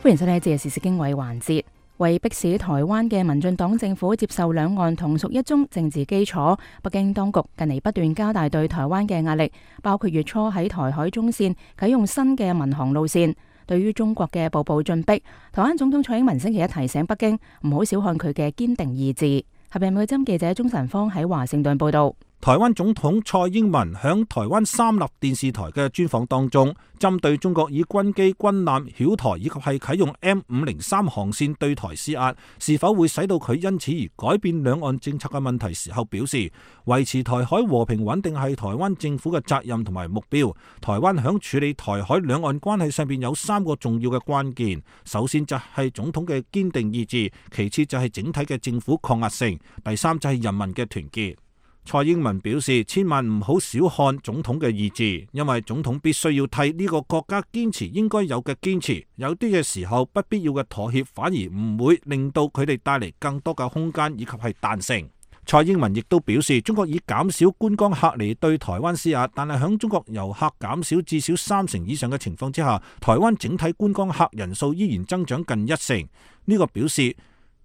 歡迎收聽今日時事經緯環節。為迫使台灣嘅民進黨政府接受兩岸同屬一中政治基礎，北京當局近嚟不斷加大對台灣嘅壓力，包括月初喺台海中線啟用新嘅民航路線。對於中國嘅步步進逼，台灣總統蔡英文星期一提醒北京唔好小看佢嘅堅定意志。合併美針記者鍾晨芳喺華盛頓報道。台灣總統蔡英文響台灣三立電視台嘅專訪當中，針對中國以軍機、軍艦繞台以及係啟用 M 五零三航線對台施壓，是否會使到佢因此而改變兩岸政策嘅問題時候表示，維持台海和平穩定係台灣政府嘅責任同埋目標。台灣響處理台海兩岸關係上邊有三個重要嘅關鍵，首先就係總統嘅堅定意志，其次就係整體嘅政府抗壓性，第三就係人民嘅團結。蔡英文表示，千萬唔好小看總統嘅意志，因為總統必須要替呢個國家堅持應該有嘅堅持，有啲嘅時候不必要嘅妥協反而唔會令到佢哋帶嚟更多嘅空間以及係彈性。蔡英文亦都表示，中國以減少觀光客嚟對台灣施壓，但係響中國遊客減少至少三成以上嘅情況之下，台灣整體觀光客人數依然增長近一成。呢、這個表示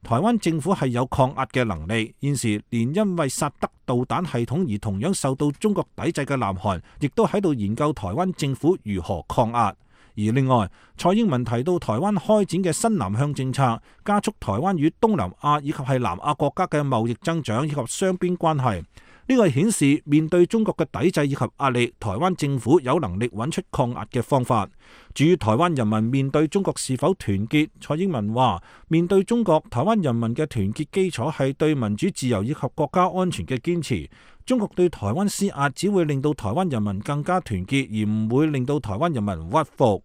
台灣政府係有抗壓嘅能力，現時連因為薩德導彈系統而同樣受到中國抵制嘅南韓，亦都喺度研究台灣政府如何抗壓。而另外，蔡英文提到台灣開展嘅新南向政策，加速台灣與東南亞以及係南亞國家嘅貿易增長以及雙邊關係。呢個顯示面對中國嘅抵制以及壓力，台灣政府有能力揾出抗壓嘅方法。至於台灣人民面對中國是否團結，蔡英文話：面對中國，台灣人民嘅團結基礎係對民主自由以及國家安全嘅堅持。中國對台灣施壓只會令到台灣人民更加團結，而唔會令到台灣人民屈服。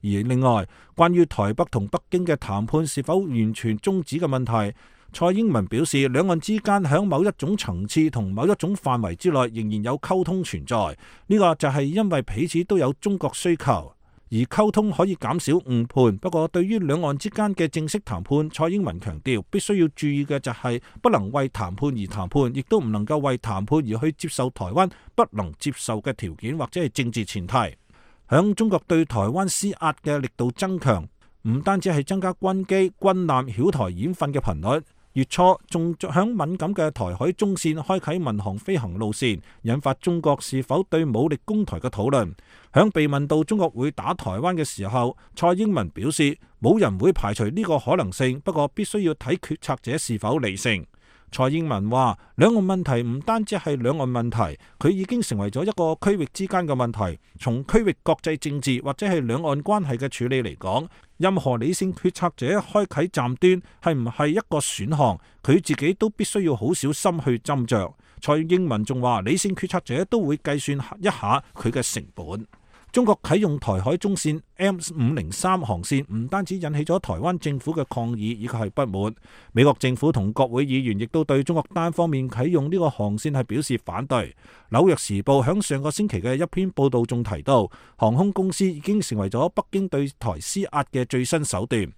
而另外，關於台北同北京嘅談判是否完全終止嘅問題，蔡英文表示，兩岸之間喺某一種層次同某一種範圍之內仍然有溝通存在，呢個就係因為彼此都有中國需求，而溝通可以減少誤判。不過對於兩岸之間嘅正式談判，蔡英文強調必須要注意嘅就係不能為談判而談判，亦都唔能夠為談判而去接受台灣不能接受嘅條件或者係政治前提。響中國對台灣施壓嘅力度增強，唔單止係增加軍機、軍艦繞台演訓嘅頻率，月初仲響敏感嘅台海中線開啟民航飛行路線，引發中國是否對武力攻台嘅討論。響被問到中國會打台灣嘅時候，蔡英文表示冇人會排除呢個可能性，不過必須要睇決策者是否理性。蔡英文話：兩岸問題唔單止係兩岸問題，佢已經成為咗一個區域之間嘅問題。從區域國際政治或者係兩岸關係嘅處理嚟講，任何理性決策者開啟站端係唔係一個選項，佢自己都必須要好小心去斟酌。蔡英文仲話：理性決策者都會計算一下佢嘅成本。中國啟用台海中線 M 五零三航線，唔單止引起咗台灣政府嘅抗議以及係不滿，美國政府同國會議員亦都對中國單方面啟用呢個航線係表示反對。紐約時報響上個星期嘅一篇報道中提到，航空公司已經成為咗北京對台施壓嘅最新手段。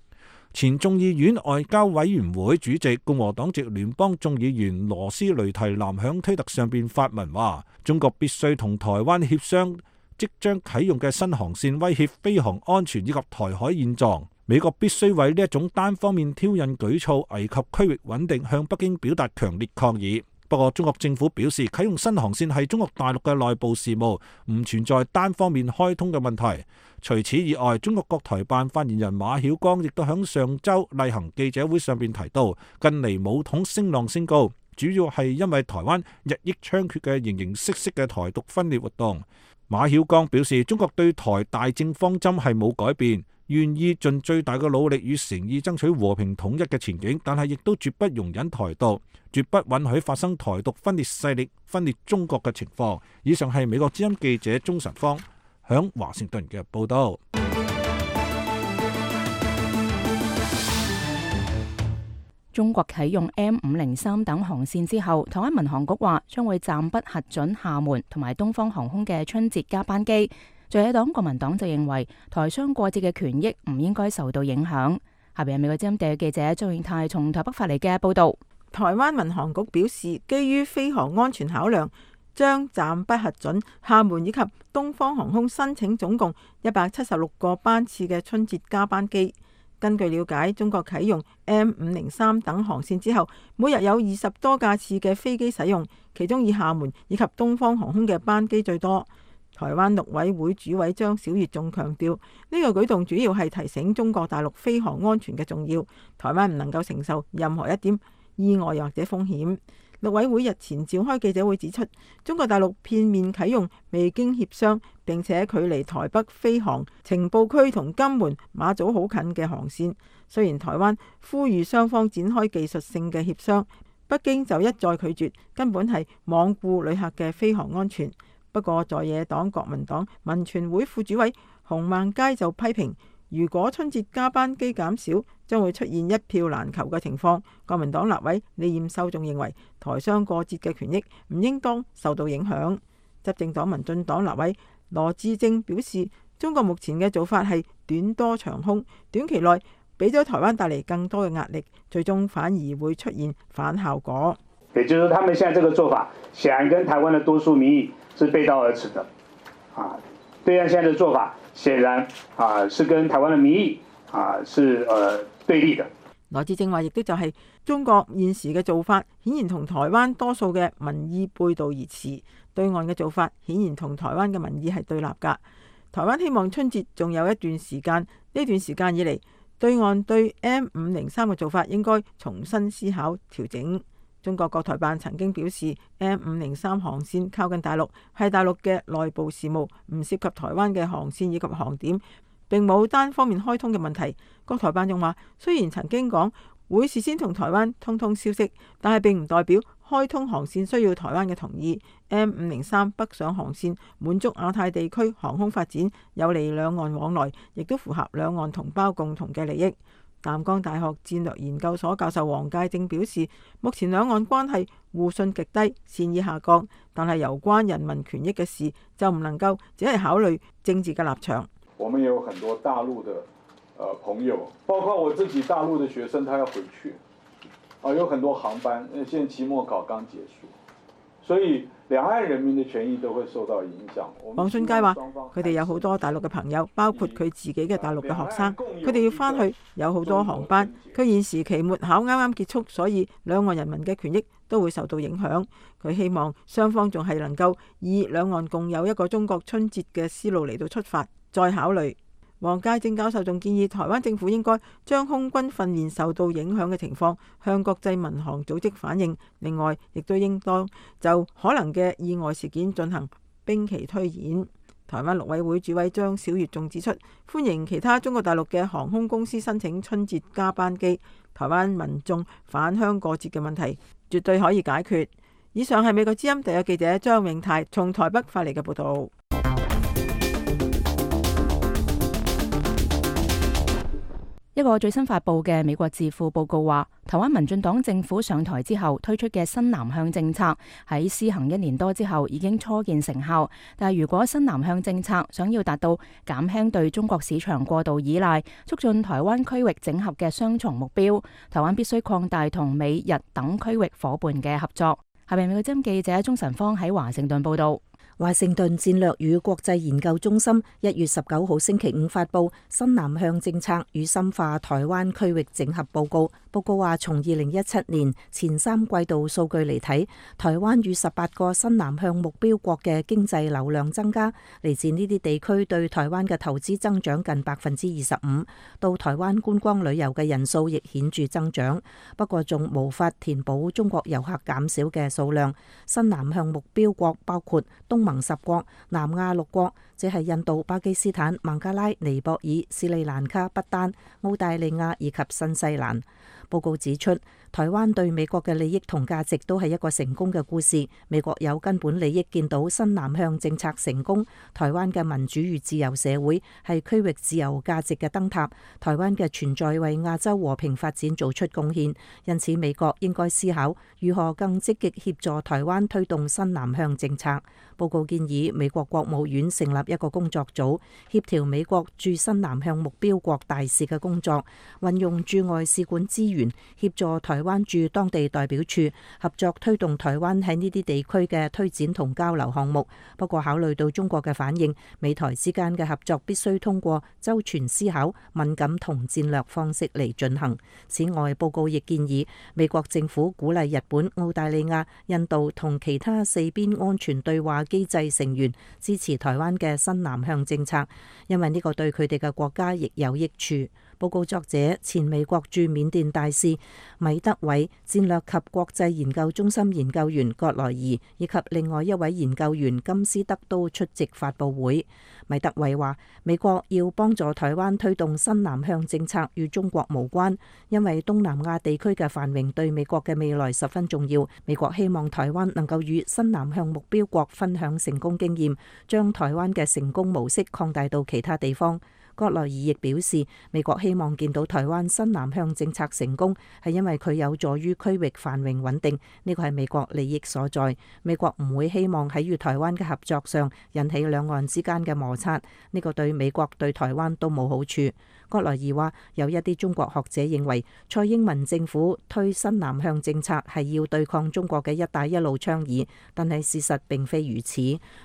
前眾議院外交委員會主席共和黨籍聯邦眾議員羅斯雷提南響推特上邊發文話：中國必須同台灣協商即將啟用嘅新航線威脅飛航安全以及台海現狀，美國必須為呢一種單方面挑釁舉措危及區域穩定向北京表達強烈抗議。不過中國政府表示，啟用新航線係中國大陸嘅內部事務，唔存在單方面開通嘅問題。除此以外，中國國台辦發言人馬曉光亦都響上週例行記者會上邊提到，近嚟武統聲浪升高，主要係因為台灣日益猖獗嘅形形色色嘅台獨分裂活動。馬曉光表示，中國對台大政方針係冇改變，願意盡最大嘅努力與誠意爭取和平統一嘅前景，但係亦都絕不容忍台獨，絕不允許發生台獨分裂勢力分裂中國嘅情況。以上係美國之音記者鍾晨芳響華盛頓嘅報道。中國啟用 M 五零三等航線之後，台灣民航局話將會暫不核准廈門同埋東方航空嘅春節加班機。在野黨國民黨就認為台商過節嘅權益唔應該受到影響。下邊係美國之音地記者周永泰從台北發嚟嘅報道。台灣民航局表示，基於飛航安全考量，將暫不核准廈門以及東方航空申請總共一百七十六個班次嘅春節加班機。根據了解，中國啟用 M 五零三等航線之後，每日有二十多架次嘅飛機使用，其中以廈門以及東方航空嘅班機最多。台灣陸委會主委張曉月仲強調，呢個舉動主要係提醒中國大陸飛航安全嘅重要，台灣唔能夠承受任何一點意外或者風險。陸委會日前召開記者會指出，中國大陸片面啟用未經協商並且距離台北飛航情報區同金門、馬祖好近嘅航線。雖然台灣呼籲雙方展開技術性嘅協商，北京就一再拒絕，根本係罔顧旅客嘅飛航安全。不過在野黨國民黨民權會副主委洪孟佳就批評，如果春節加班機減少，將會出現一票難求嘅情況。國民黨立委李彥秀仲認為，台商過節嘅權益唔應當受到影響。執政黨民進黨立委羅致政表示，中國目前嘅做法係短多長空，短期內俾咗台灣帶嚟更多嘅壓力，最終反而會出現反效果。也就是他們現在這個做法，顯然跟台灣的多數民意是背道而馳的。啊，對岸現在的做法，顯然啊是跟台灣的民意啊是呃對立的。羅致政話，亦都就係中國現時嘅做法，顯然同台灣多數嘅民意背道而馳。對岸嘅做法，顯然同台灣嘅民意係對立㗎。台灣希望春節仲有一段時間，呢段時間以嚟，對岸對 M 五零三嘅做法應該重新思考調整。中國國台辦曾經表示 ，M 五零三航線靠近大陸，係大陸嘅內部事務，唔涉及台灣嘅航線以及航點，並冇單方面開通嘅問題。國台辦仲話，雖然曾經講會事先同台灣通通消息，但係並唔代表開通航線需要台灣嘅同意。M 五零三北上航線滿足亞太地區航空發展，有利兩岸往來，亦都符合兩岸同胞共同嘅利益。淡江大學戰略研究所教授黃介正表示，目前兩岸關係互信極低，善意下降，但係有關人民權益嘅事就唔能夠只係考慮政治嘅立場。我們有很多大陸的、呃、朋友，包括我自己大陸的學生，他要回去，啊，有很多航班，現在期末考剛結束，所以兩岸人民的權益都會受到影響。黃俊佳話：佢哋有好多大陸嘅朋友，包括佢自己嘅大陸嘅學生，佢哋要返去，有好多航班。佢現時期末考啱啱結束，所以兩岸人民嘅權益都會受到影響。佢希望雙方仲係能夠以兩岸共有一個中國春節嘅思路嚟到出發，再考慮。黃介正教授仲建議，台灣政府應該將空軍訓練受到影響嘅情況向國際民航組織反映，另外亦都應當就可能嘅意外事件進行兵棋推演。台灣陸委會主委張曉月仲指出，歡迎其他中國大陸嘅航空公司申請春節加班機，台灣民眾返鄉過節嘅問題絕對可以解決。以上係美國之音第一記者張永泰從台北發嚟嘅報道。一個最新發佈嘅美國智庫報告話，台灣民進黨政府上台之後推出嘅新南向政策喺施行一年多之後已經初見成效。但係如果新南向政策想要達到減輕對中國市場過度依賴、促進台灣區域整合嘅雙重目標，台灣必須擴大同美日等區域夥伴嘅合作。下邊美國之音記者鍾晨芳喺華盛頓報道。華盛頓戰略與國際研究中心一月十九號星期五發佈新南向政策與深化台灣區域整合報告。報告話，從二零一七年前三季度數據嚟睇，台灣與十八個新南向目標國嘅經濟流量增加，嚟自呢啲地區對台灣嘅投資增長近百分之二十五，到台灣觀光旅遊嘅人數亦顯著增長。不過仲無法填補中國遊客減少嘅數量。新南向目標國包括東盟十國，南亞六國，即係印度、巴基斯坦、孟加拉、尼泊爾、斯里蘭卡、不丹、澳大利亞以及新西蘭。報告指出，台灣對美國嘅利益同價值都係一個成功嘅故事。美國有根本利益見到新南向政策成功，台灣嘅民主與自由社會係區域自由價值嘅燈塔，台灣嘅存在為亞洲和平發展做出貢獻。因此，美國應該思考如何更積極協助台灣推動新南向政策。報告建議美國國務院成立一個工作組，協調美國駐新南向目標國大使嘅工作，運用駐外使館資源，協助台灣駐當地代表處合作推動台灣喺呢啲地區嘅推展同交流項目。不過考慮到中國嘅反應，美台之間嘅合作必須通過周全思考、敏感同戰略方式嚟進行。此外，報告亦建議美國政府鼓勵日本、澳大利亞、印度同其他四邊安全對話機制成員支持台灣嘅新南向政策，因為呢個對佢哋嘅國家亦有益處。報告作者前美國駐緬甸大使米德偉、戰略及國際研究中心研究員葛萊儀以及另外一位研究員金斯德都出席發佈會。米德偉話：美國要幫助台灣推動新南向政策與中國無關，因為東南亞地區嘅繁榮對美國嘅未來十分重要。美國希望台灣能夠與新南向目標國分享成功經驗，將台灣嘅成功模式擴大到其他地方。葛萊儀亦表示，美國希望見到台灣新南向政策成功，係因為佢有助於區域繁榮穩定，呢個係美國利益所在。美國唔會希望喺與台灣嘅合作上引起兩岸之間嘅摩擦，呢個對美國對台灣都冇好處。葛萊儀話：有一啲中國學者認為，蔡英文政府推新南向政策係要對抗中國嘅一帶一路倡議，但係事實並非如此。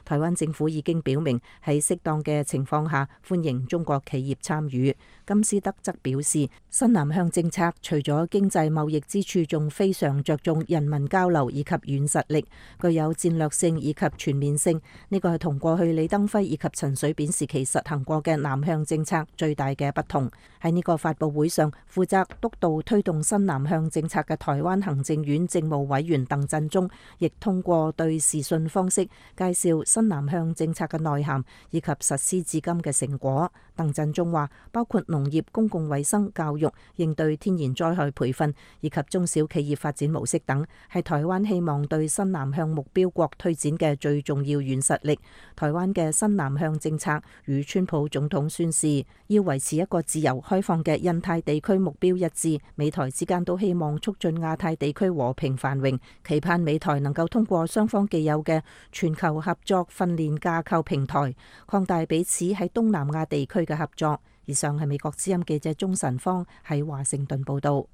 台灣政府已經表明喺適當嘅情況下歡迎中國企業參與。金斯德則表示，新南向政策除咗經濟貿易之處，仲非常着重人民交流以及軟實力，具有戰略性以及全面性。呢個係同過去李登輝以及陳水扁時期實行過嘅南向政策最大嘅不同。喺呢個發佈會上，負責督導推動新南向政策嘅台灣行政院政務委員鄧振中，亦通過對視訊方式介紹新南向政策嘅內涵以及實施至今嘅成果。鄧振中話，包括農業、公共衛生、教育、應對天然災害培訓以及中小企業發展模式等，係台灣希望對新南向目標國推展嘅最重要軟實力。台灣嘅新南向政策與川普總統宣示要維持一個自由開放嘅印太地區目標一致，美台之間都希望促進亞太地區和平繁榮，期盼美台能夠通過雙方既有嘅全球合作訓練架構平台，擴大彼此喺東南亞地區嘅合作。以上係美國之音記者鍾晨芳喺華盛頓報道。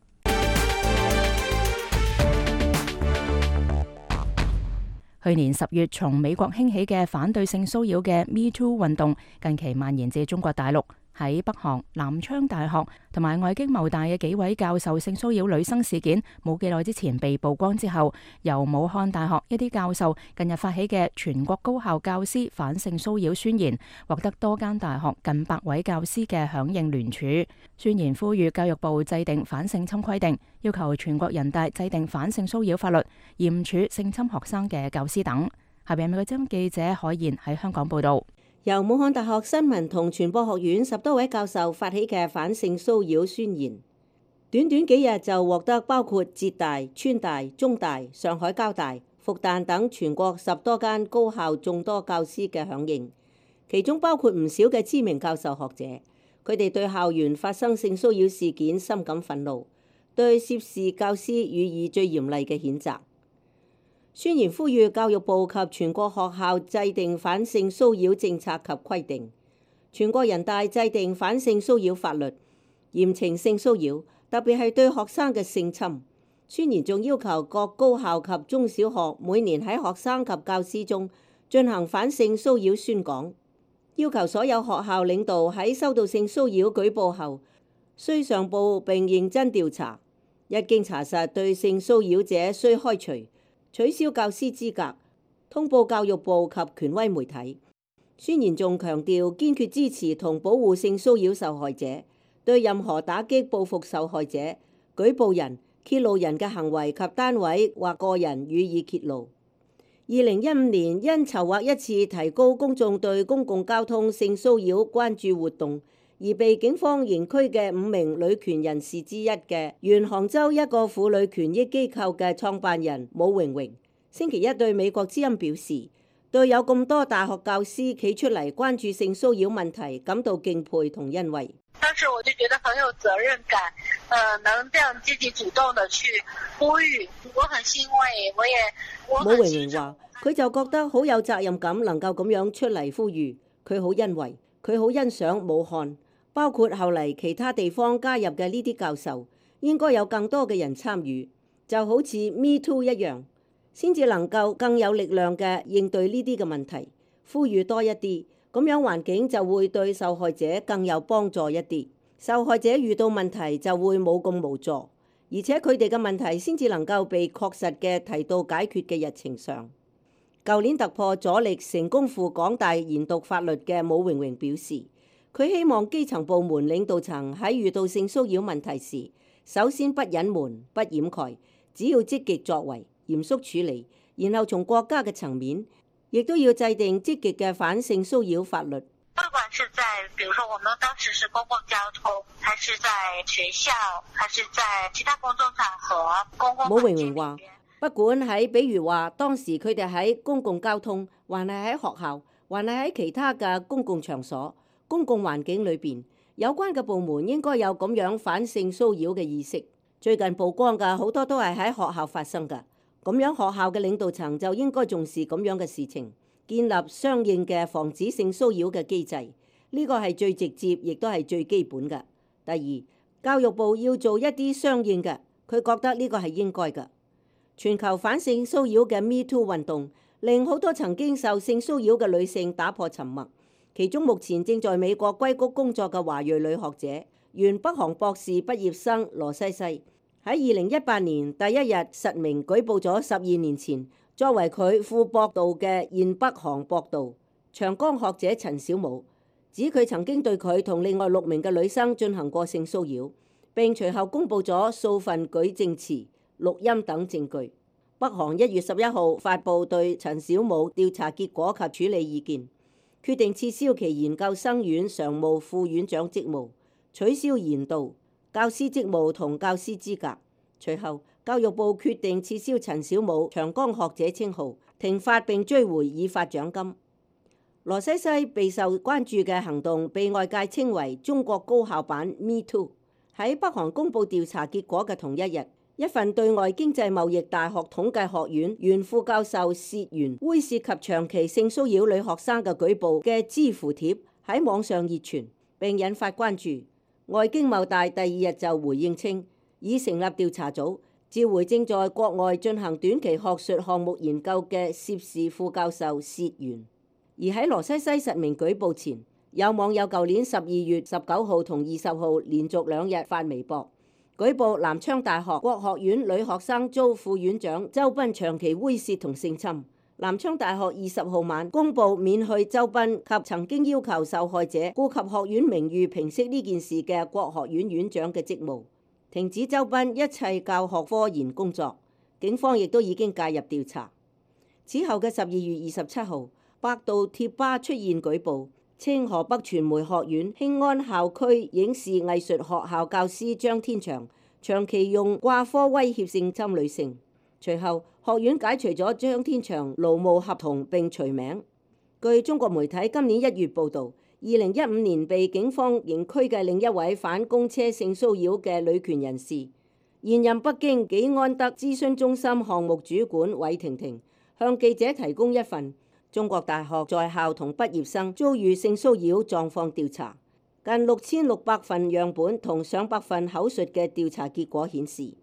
去年十月從美國興起嘅反對性騷擾嘅 Me Too 運動，近期蔓延至中國大陸。喺北韓南昌大學同埋外經貿大嘅幾位教授性騷擾女生事件冇幾耐之前被曝光之後，由武漢大學一啲教授近日發起嘅全國高校教師反性騷擾宣言，獲得多間大學近百位教師嘅響應聯署。宣言呼籲教育部制定反性侵規定，要求全國人大制定反性騷擾法律，嚴處性侵學生嘅教師等。下邊美國之音記者海燕喺香港報道。由武漢大學新聞同傳播學院十多位教授發起嘅反性騷擾宣言，短短幾日就獲得包括浙大、川大、中大、上海交大、復旦等全國十多間高校眾多教師嘅響應，其中包括唔少嘅知名教授學者。佢哋對校園發生性騷擾事件深感憤怒，對涉事教師予以最嚴厲嘅譴責。宣言呼籲教育部及全國學校制定反性騷擾政策及規定，全國人大制定反性騷擾法律，嚴懲性騷擾，特別係對學生嘅性侵。宣言仲要求各高校及中小學每年喺學生及教師中進行反性騷擾宣講，要求所有學校領導喺收到性騷擾舉報後，須上報並認真調查，一經查實對性騷擾者須開除、取消教師資格，通報教育部及權威媒體。宣言仲強調堅決支持同保護性騷擾受害者，對任何打擊報復受害者、舉報人、揭露人嘅行為及單位或個人予以揭露。二零一五年因籌劃一次提高公眾對公共交通性騷擾關注活動，而被警方刑拘嘅五名女權人士之一嘅原杭州一個婦女權益機構嘅創辦人武榮榮，星期一對美國之音表示，對有咁多大學教師企出嚟關注性騷擾問題感到敬佩同欣慰。當時我就覺得很有責任感，呃，能這樣積極主動地去呼籲，我很欣慰，我也我很。武榮榮話：佢就覺得好有責任感，能夠咁樣出嚟呼籲，佢好欣慰，佢好欣賞武漢，包括後嚟其他地方加入嘅呢啲教授，應該有更多嘅人參與，就好似 Me Too 一樣，先至能夠更有力量嘅應對呢啲嘅問題，呼籲多一啲。咁樣環境就會對受害者更有幫助一啲，受害者遇到問題就會冇咁無助，而且佢哋嘅問題先至能夠被確實嘅提到解決嘅日程上。舊年突破阻力成功赴港大研讀法律嘅武榮榮表示，佢希望基層部門領導層喺遇到性騷擾問題時，首先不隱瞞、不掩蓋，只要積極作為、嚴肅處理，然後從國家嘅層面，亦都要制定積極嘅反性騷擾法律。不管是在，比如說我們當時是公共交通，還是在學校，還是在其他公眾場合、公共。武榮榮話：不管喺，比如話當時佢哋喺公共交通，還係喺學校，還係喺其他嘅公共場所、公共環境裏邊，有關嘅部門應該有咁樣反性騷擾嘅意識。最近曝光嘅好多都係喺學校發生嘅。咁樣學校嘅領導層就應該重視咁樣嘅事情，建立相應嘅防止性騷擾嘅機制，呢個係最直接，亦都係最基本嘅。第二，教育部要做一啲相應嘅，佢覺得呢個係應該嘅。全球反性騷擾嘅 Me Too 運動，令好多曾經受性騷擾嘅女性打破沉默。其中目前正在美國硅谷工作嘅華裔女學者，原北韓博士畢業生羅西西，喺二零一八年第一日實名舉報咗十二年前作為佢副博導嘅現北韓博導長江學者陳小武，指佢曾經對佢同另外六名嘅女生進行過性騷擾，並隨後公佈咗數份舉證詞、錄音等證據。北韓一月十一號發布對陳小武調查結果及處理意見，決定撤銷其研究生院常務副院長職務，取消研導教師職務同教師資格。隨後，教育部決定撤銷陳小武長江學者稱號，停發並追回已發獎金。羅西西備受關注嘅行動被外界稱為中國高校版 Me Too。喺北韓公佈調查結果嘅同一日，一份對外經濟貿易大學統計學院原副教授薛元猥褻及長期性騷擾女學生嘅舉報嘅知乎帖喺網上熱傳，並引發關注。外經貿大第二日就回應稱，已成立調查組，召回正在國外進行短期學術項目研究嘅涉事副教授薛元。而喺羅西西實名舉報前，有網友舊年十二月十九號同二十號連續兩日發微博，舉報南昌大學國學院女學生遭副院長周斌長期猥褻同性侵。南昌大學二十號晚公佈免去周斌及曾經要求受害者顧及學院名譽平息呢件事嘅國學院院長嘅職務，停止周斌一切教學科研工作。警方亦都已經介入調查。此後嘅十二月二十七號，百度貼吧出現舉報，稱河北傳媒學院興安校區影視藝術學校教師張天祥長期用掛科威脅性侵女性。隨後，學院解除咗張天祥勞務合同並除名。據中國媒體今年一月報導，二零一五年被警方刑拘嘅另一位反公車性騷擾嘅女權人士，現任北京紀安德諮詢中心項目主管韋婷婷，向記者提供一份中國大學在校同畢業生遭遇性騷擾狀況調查，近六千六百份樣本同上百份口述嘅調查結果顯示，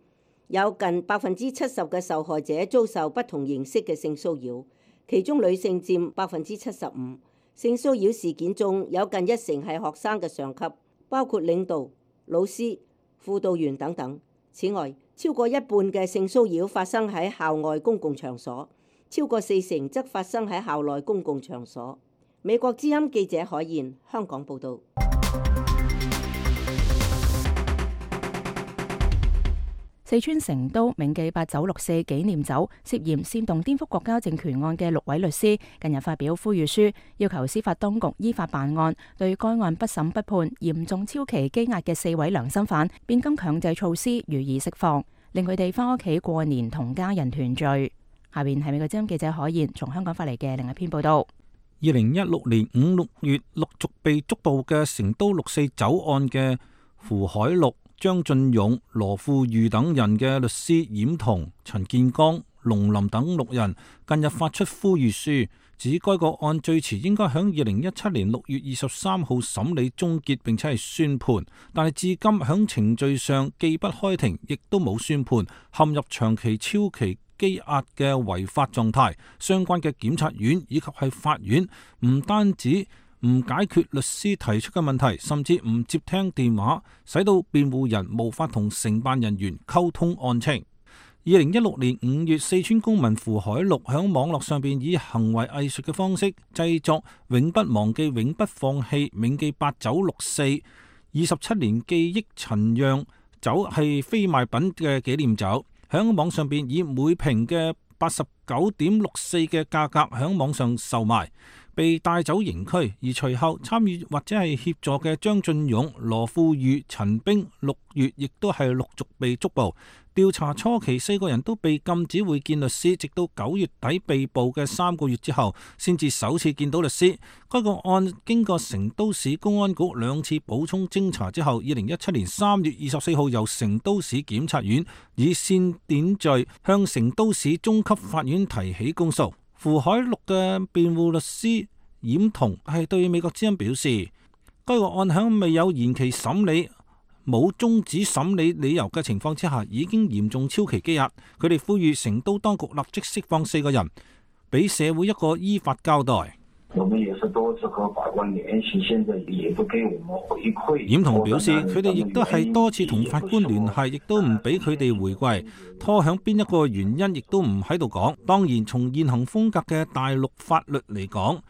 有近百分之七十嘅受害者遭受不同形式嘅性騷擾，其中女性佔百分之七十五。性騷擾事件中有近一成係學生嘅上級，包括領導、老師、輔導員等等。此外，超過一半嘅性騷擾發生喺校外公共場所，超過四成則發生喺校內公共場所。美國之音記者海燕，香港報導。四川成都銘記八九六四紀念酒涉嫌煽動顛覆國家政權案嘅六位律師近日發表呼籲書，要求司法當局依法辦案，對該案不審不判、嚴重超期羈押嘅四位良心犯變更強制措施予以釋放，令佢哋翻屋企過年同家人團聚。下邊係美國之音記者海燕從香港發嚟嘅另一篇報道。二零一六年五六月陸續被捉捕嘅成都六四酒案嘅胡海陸、張進勇、羅富裕等人嘅律師冉彤、陳建剛、龍林等六人近日發出呼籲書，指該個案最遲應該響二零一七年六月二十三號審理終結，並且係宣判，但係至今響程序上既不開庭，亦都冇宣判，陷入長期超期羈押嘅違法狀態。相關嘅檢察院以及係法院唔單止唔解決律師提出嘅問題，甚至唔接聽電話，使到辯護人無法同承辦人員溝通案情。二零一六年五月，四川公民胡海陸響網絡上邊以行為藝術嘅方式製作《永不忘記、永不放棄、銘記八九六四二十七年記憶陳釀酒係非賣品嘅紀念酒，響網上邊以每瓶嘅八十九點六四嘅價格響網上售賣，被帶走刑拘。而隨後參與或者係協助嘅張進勇、羅富裕、陳冰六月亦都係陸續被捉捕。調查初期，四個人都被禁止會見律師，直到九月底被捕嘅三個月之後，先至首次見到律師。該個案經過成都市公安局兩次補充偵查之後，二零一七年三月二十四號由成都市檢察院以煽典罪向成都市中級法院提起公訴。胡海陸嘅辯護律師冉彤係對美國之音表示，該個案響未有延期審理、冇終止審理理由嘅情況之下，已經嚴重超期羈押。佢哋呼籲成都當局立即釋放四個人，俾社會一個依法交代。我們也是多次和法官聯繫，現在也不給我們回饋。冉彤表示，佢哋亦都係多次同法官聯繫，亦都唔俾佢哋回歸，拖響邊一個原因，亦都唔喺度講。當然，從現行風格嘅大陸法律嚟講，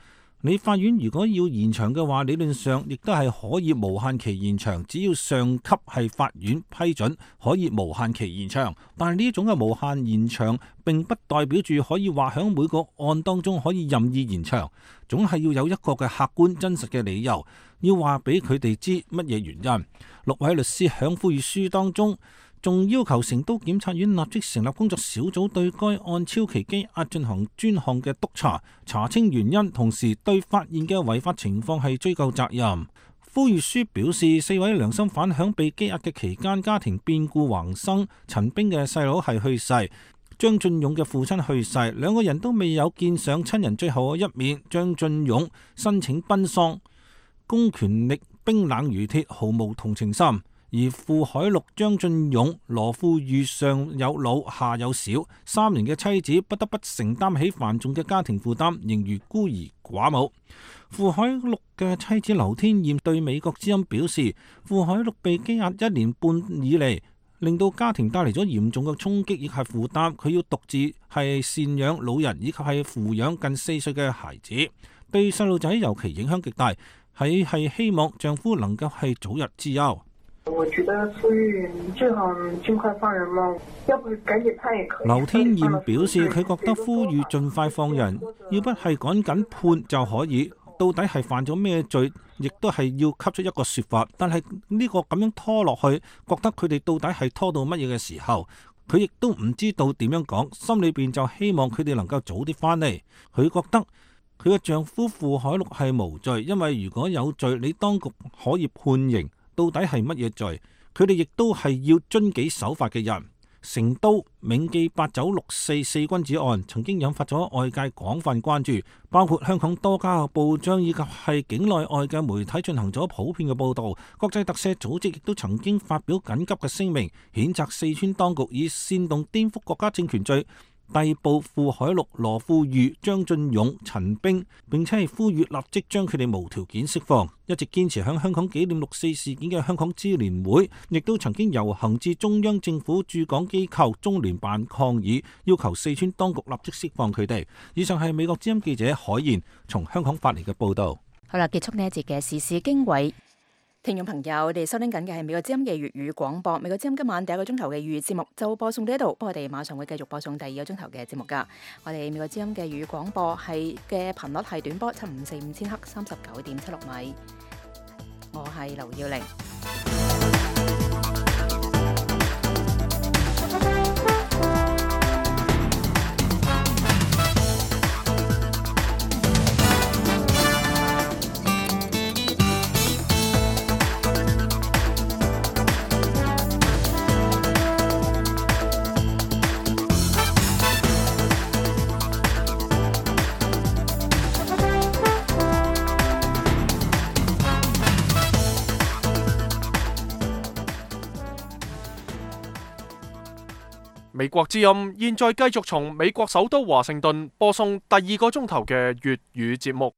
你法院如果要延長嘅話，理論上亦都係可以無限期延長，只要上級係法院批准，可以無限期延長。但係呢種嘅無限延長並不代表住可以話響每個案當中可以任意延長，總係要有一個嘅客觀真實嘅理由，要話俾佢哋知乜嘢原因。六位律師響呼籲書當中仲要求成都檢察院立即成立工作小組，對該案超期羈押進行專項嘅督查，查清原因，同時對發現嘅違法情況係追究責任。呼籲書表示，四位良心犯響被羈押嘅期間，家庭變故橫生，陳冰嘅細佬係去世，張進勇嘅父親去世，兩個人都未有見上親人最後嘅一面。張進勇申請奔喪，公權力冰冷如鐵，毫無同情心。而胡海陸、張進勇、羅富裕上有老下有小，三人嘅妻子不得不承擔起繁重嘅家庭負擔，仍如孤兒寡母。胡海陸嘅妻子劉天艷對美國之音表示，胡海陸被羈押一年半以嚟，令到家庭帶嚟咗嚴重嘅衝擊以及負擔，佢要獨自係贍養老人以及係撫養近四歲嘅孩子，對細路仔尤其影響極大，係係希望丈夫能夠係早日之憂。我覺得呼籲最好盡快放人嘛，要不趕緊判也可以。劉天艷表示，佢覺得呼籲盡快放人，要不係趕緊判就可以。到底係犯咗咩罪，亦都係要給出一個說法。但係呢個咁樣拖落去，覺得佢哋到底係拖到乜嘢嘅時候，佢亦都唔知道點樣講，心裏邊就希望佢哋能夠早啲翻嚟。佢覺得佢嘅丈夫胡海陸係無罪，因為如果有罪，你當局可以判刑。到底係乜嘢罪？佢哋亦都係要遵紀守法嘅人。成都銘記八九六四四君子案曾經引發咗外界廣泛關注，包括香港多家嘅報章以及係境內外嘅媒體進行咗普遍嘅報道。國際特赦組織亦都曾經發表緊急嘅聲明，譴責四川當局以煽動顛覆國家政權罪逮捕胡海陸、羅富裕、張進勇、陳冰，並且係呼籲立即將佢哋無條件釋放。一直堅持向香港紀念六四事件嘅香港支聯會，亦都曾經遊行至中央政府駐港機構中聯辦抗議，要求四川當局立即釋放佢哋。以上係美國之音記者海燕從香港發嚟嘅報道。好啦，結束呢一節嘅時事經緯。聽眾朋友，我哋收聽緊嘅係美國之音嘅粵語廣播。美國之音今晚第一個鐘頭嘅粵語節目就播送到呢度，不過我哋馬上會繼續播送第二個鐘頭嘅節目㗎。我哋美國之音嘅粵語廣播係嘅頻率係短波七五四五千赫，三十九點七六米。我係劉耀玲。美國之音現在繼續從美國首都華盛頓播送第二個鐘頭嘅粵語節目。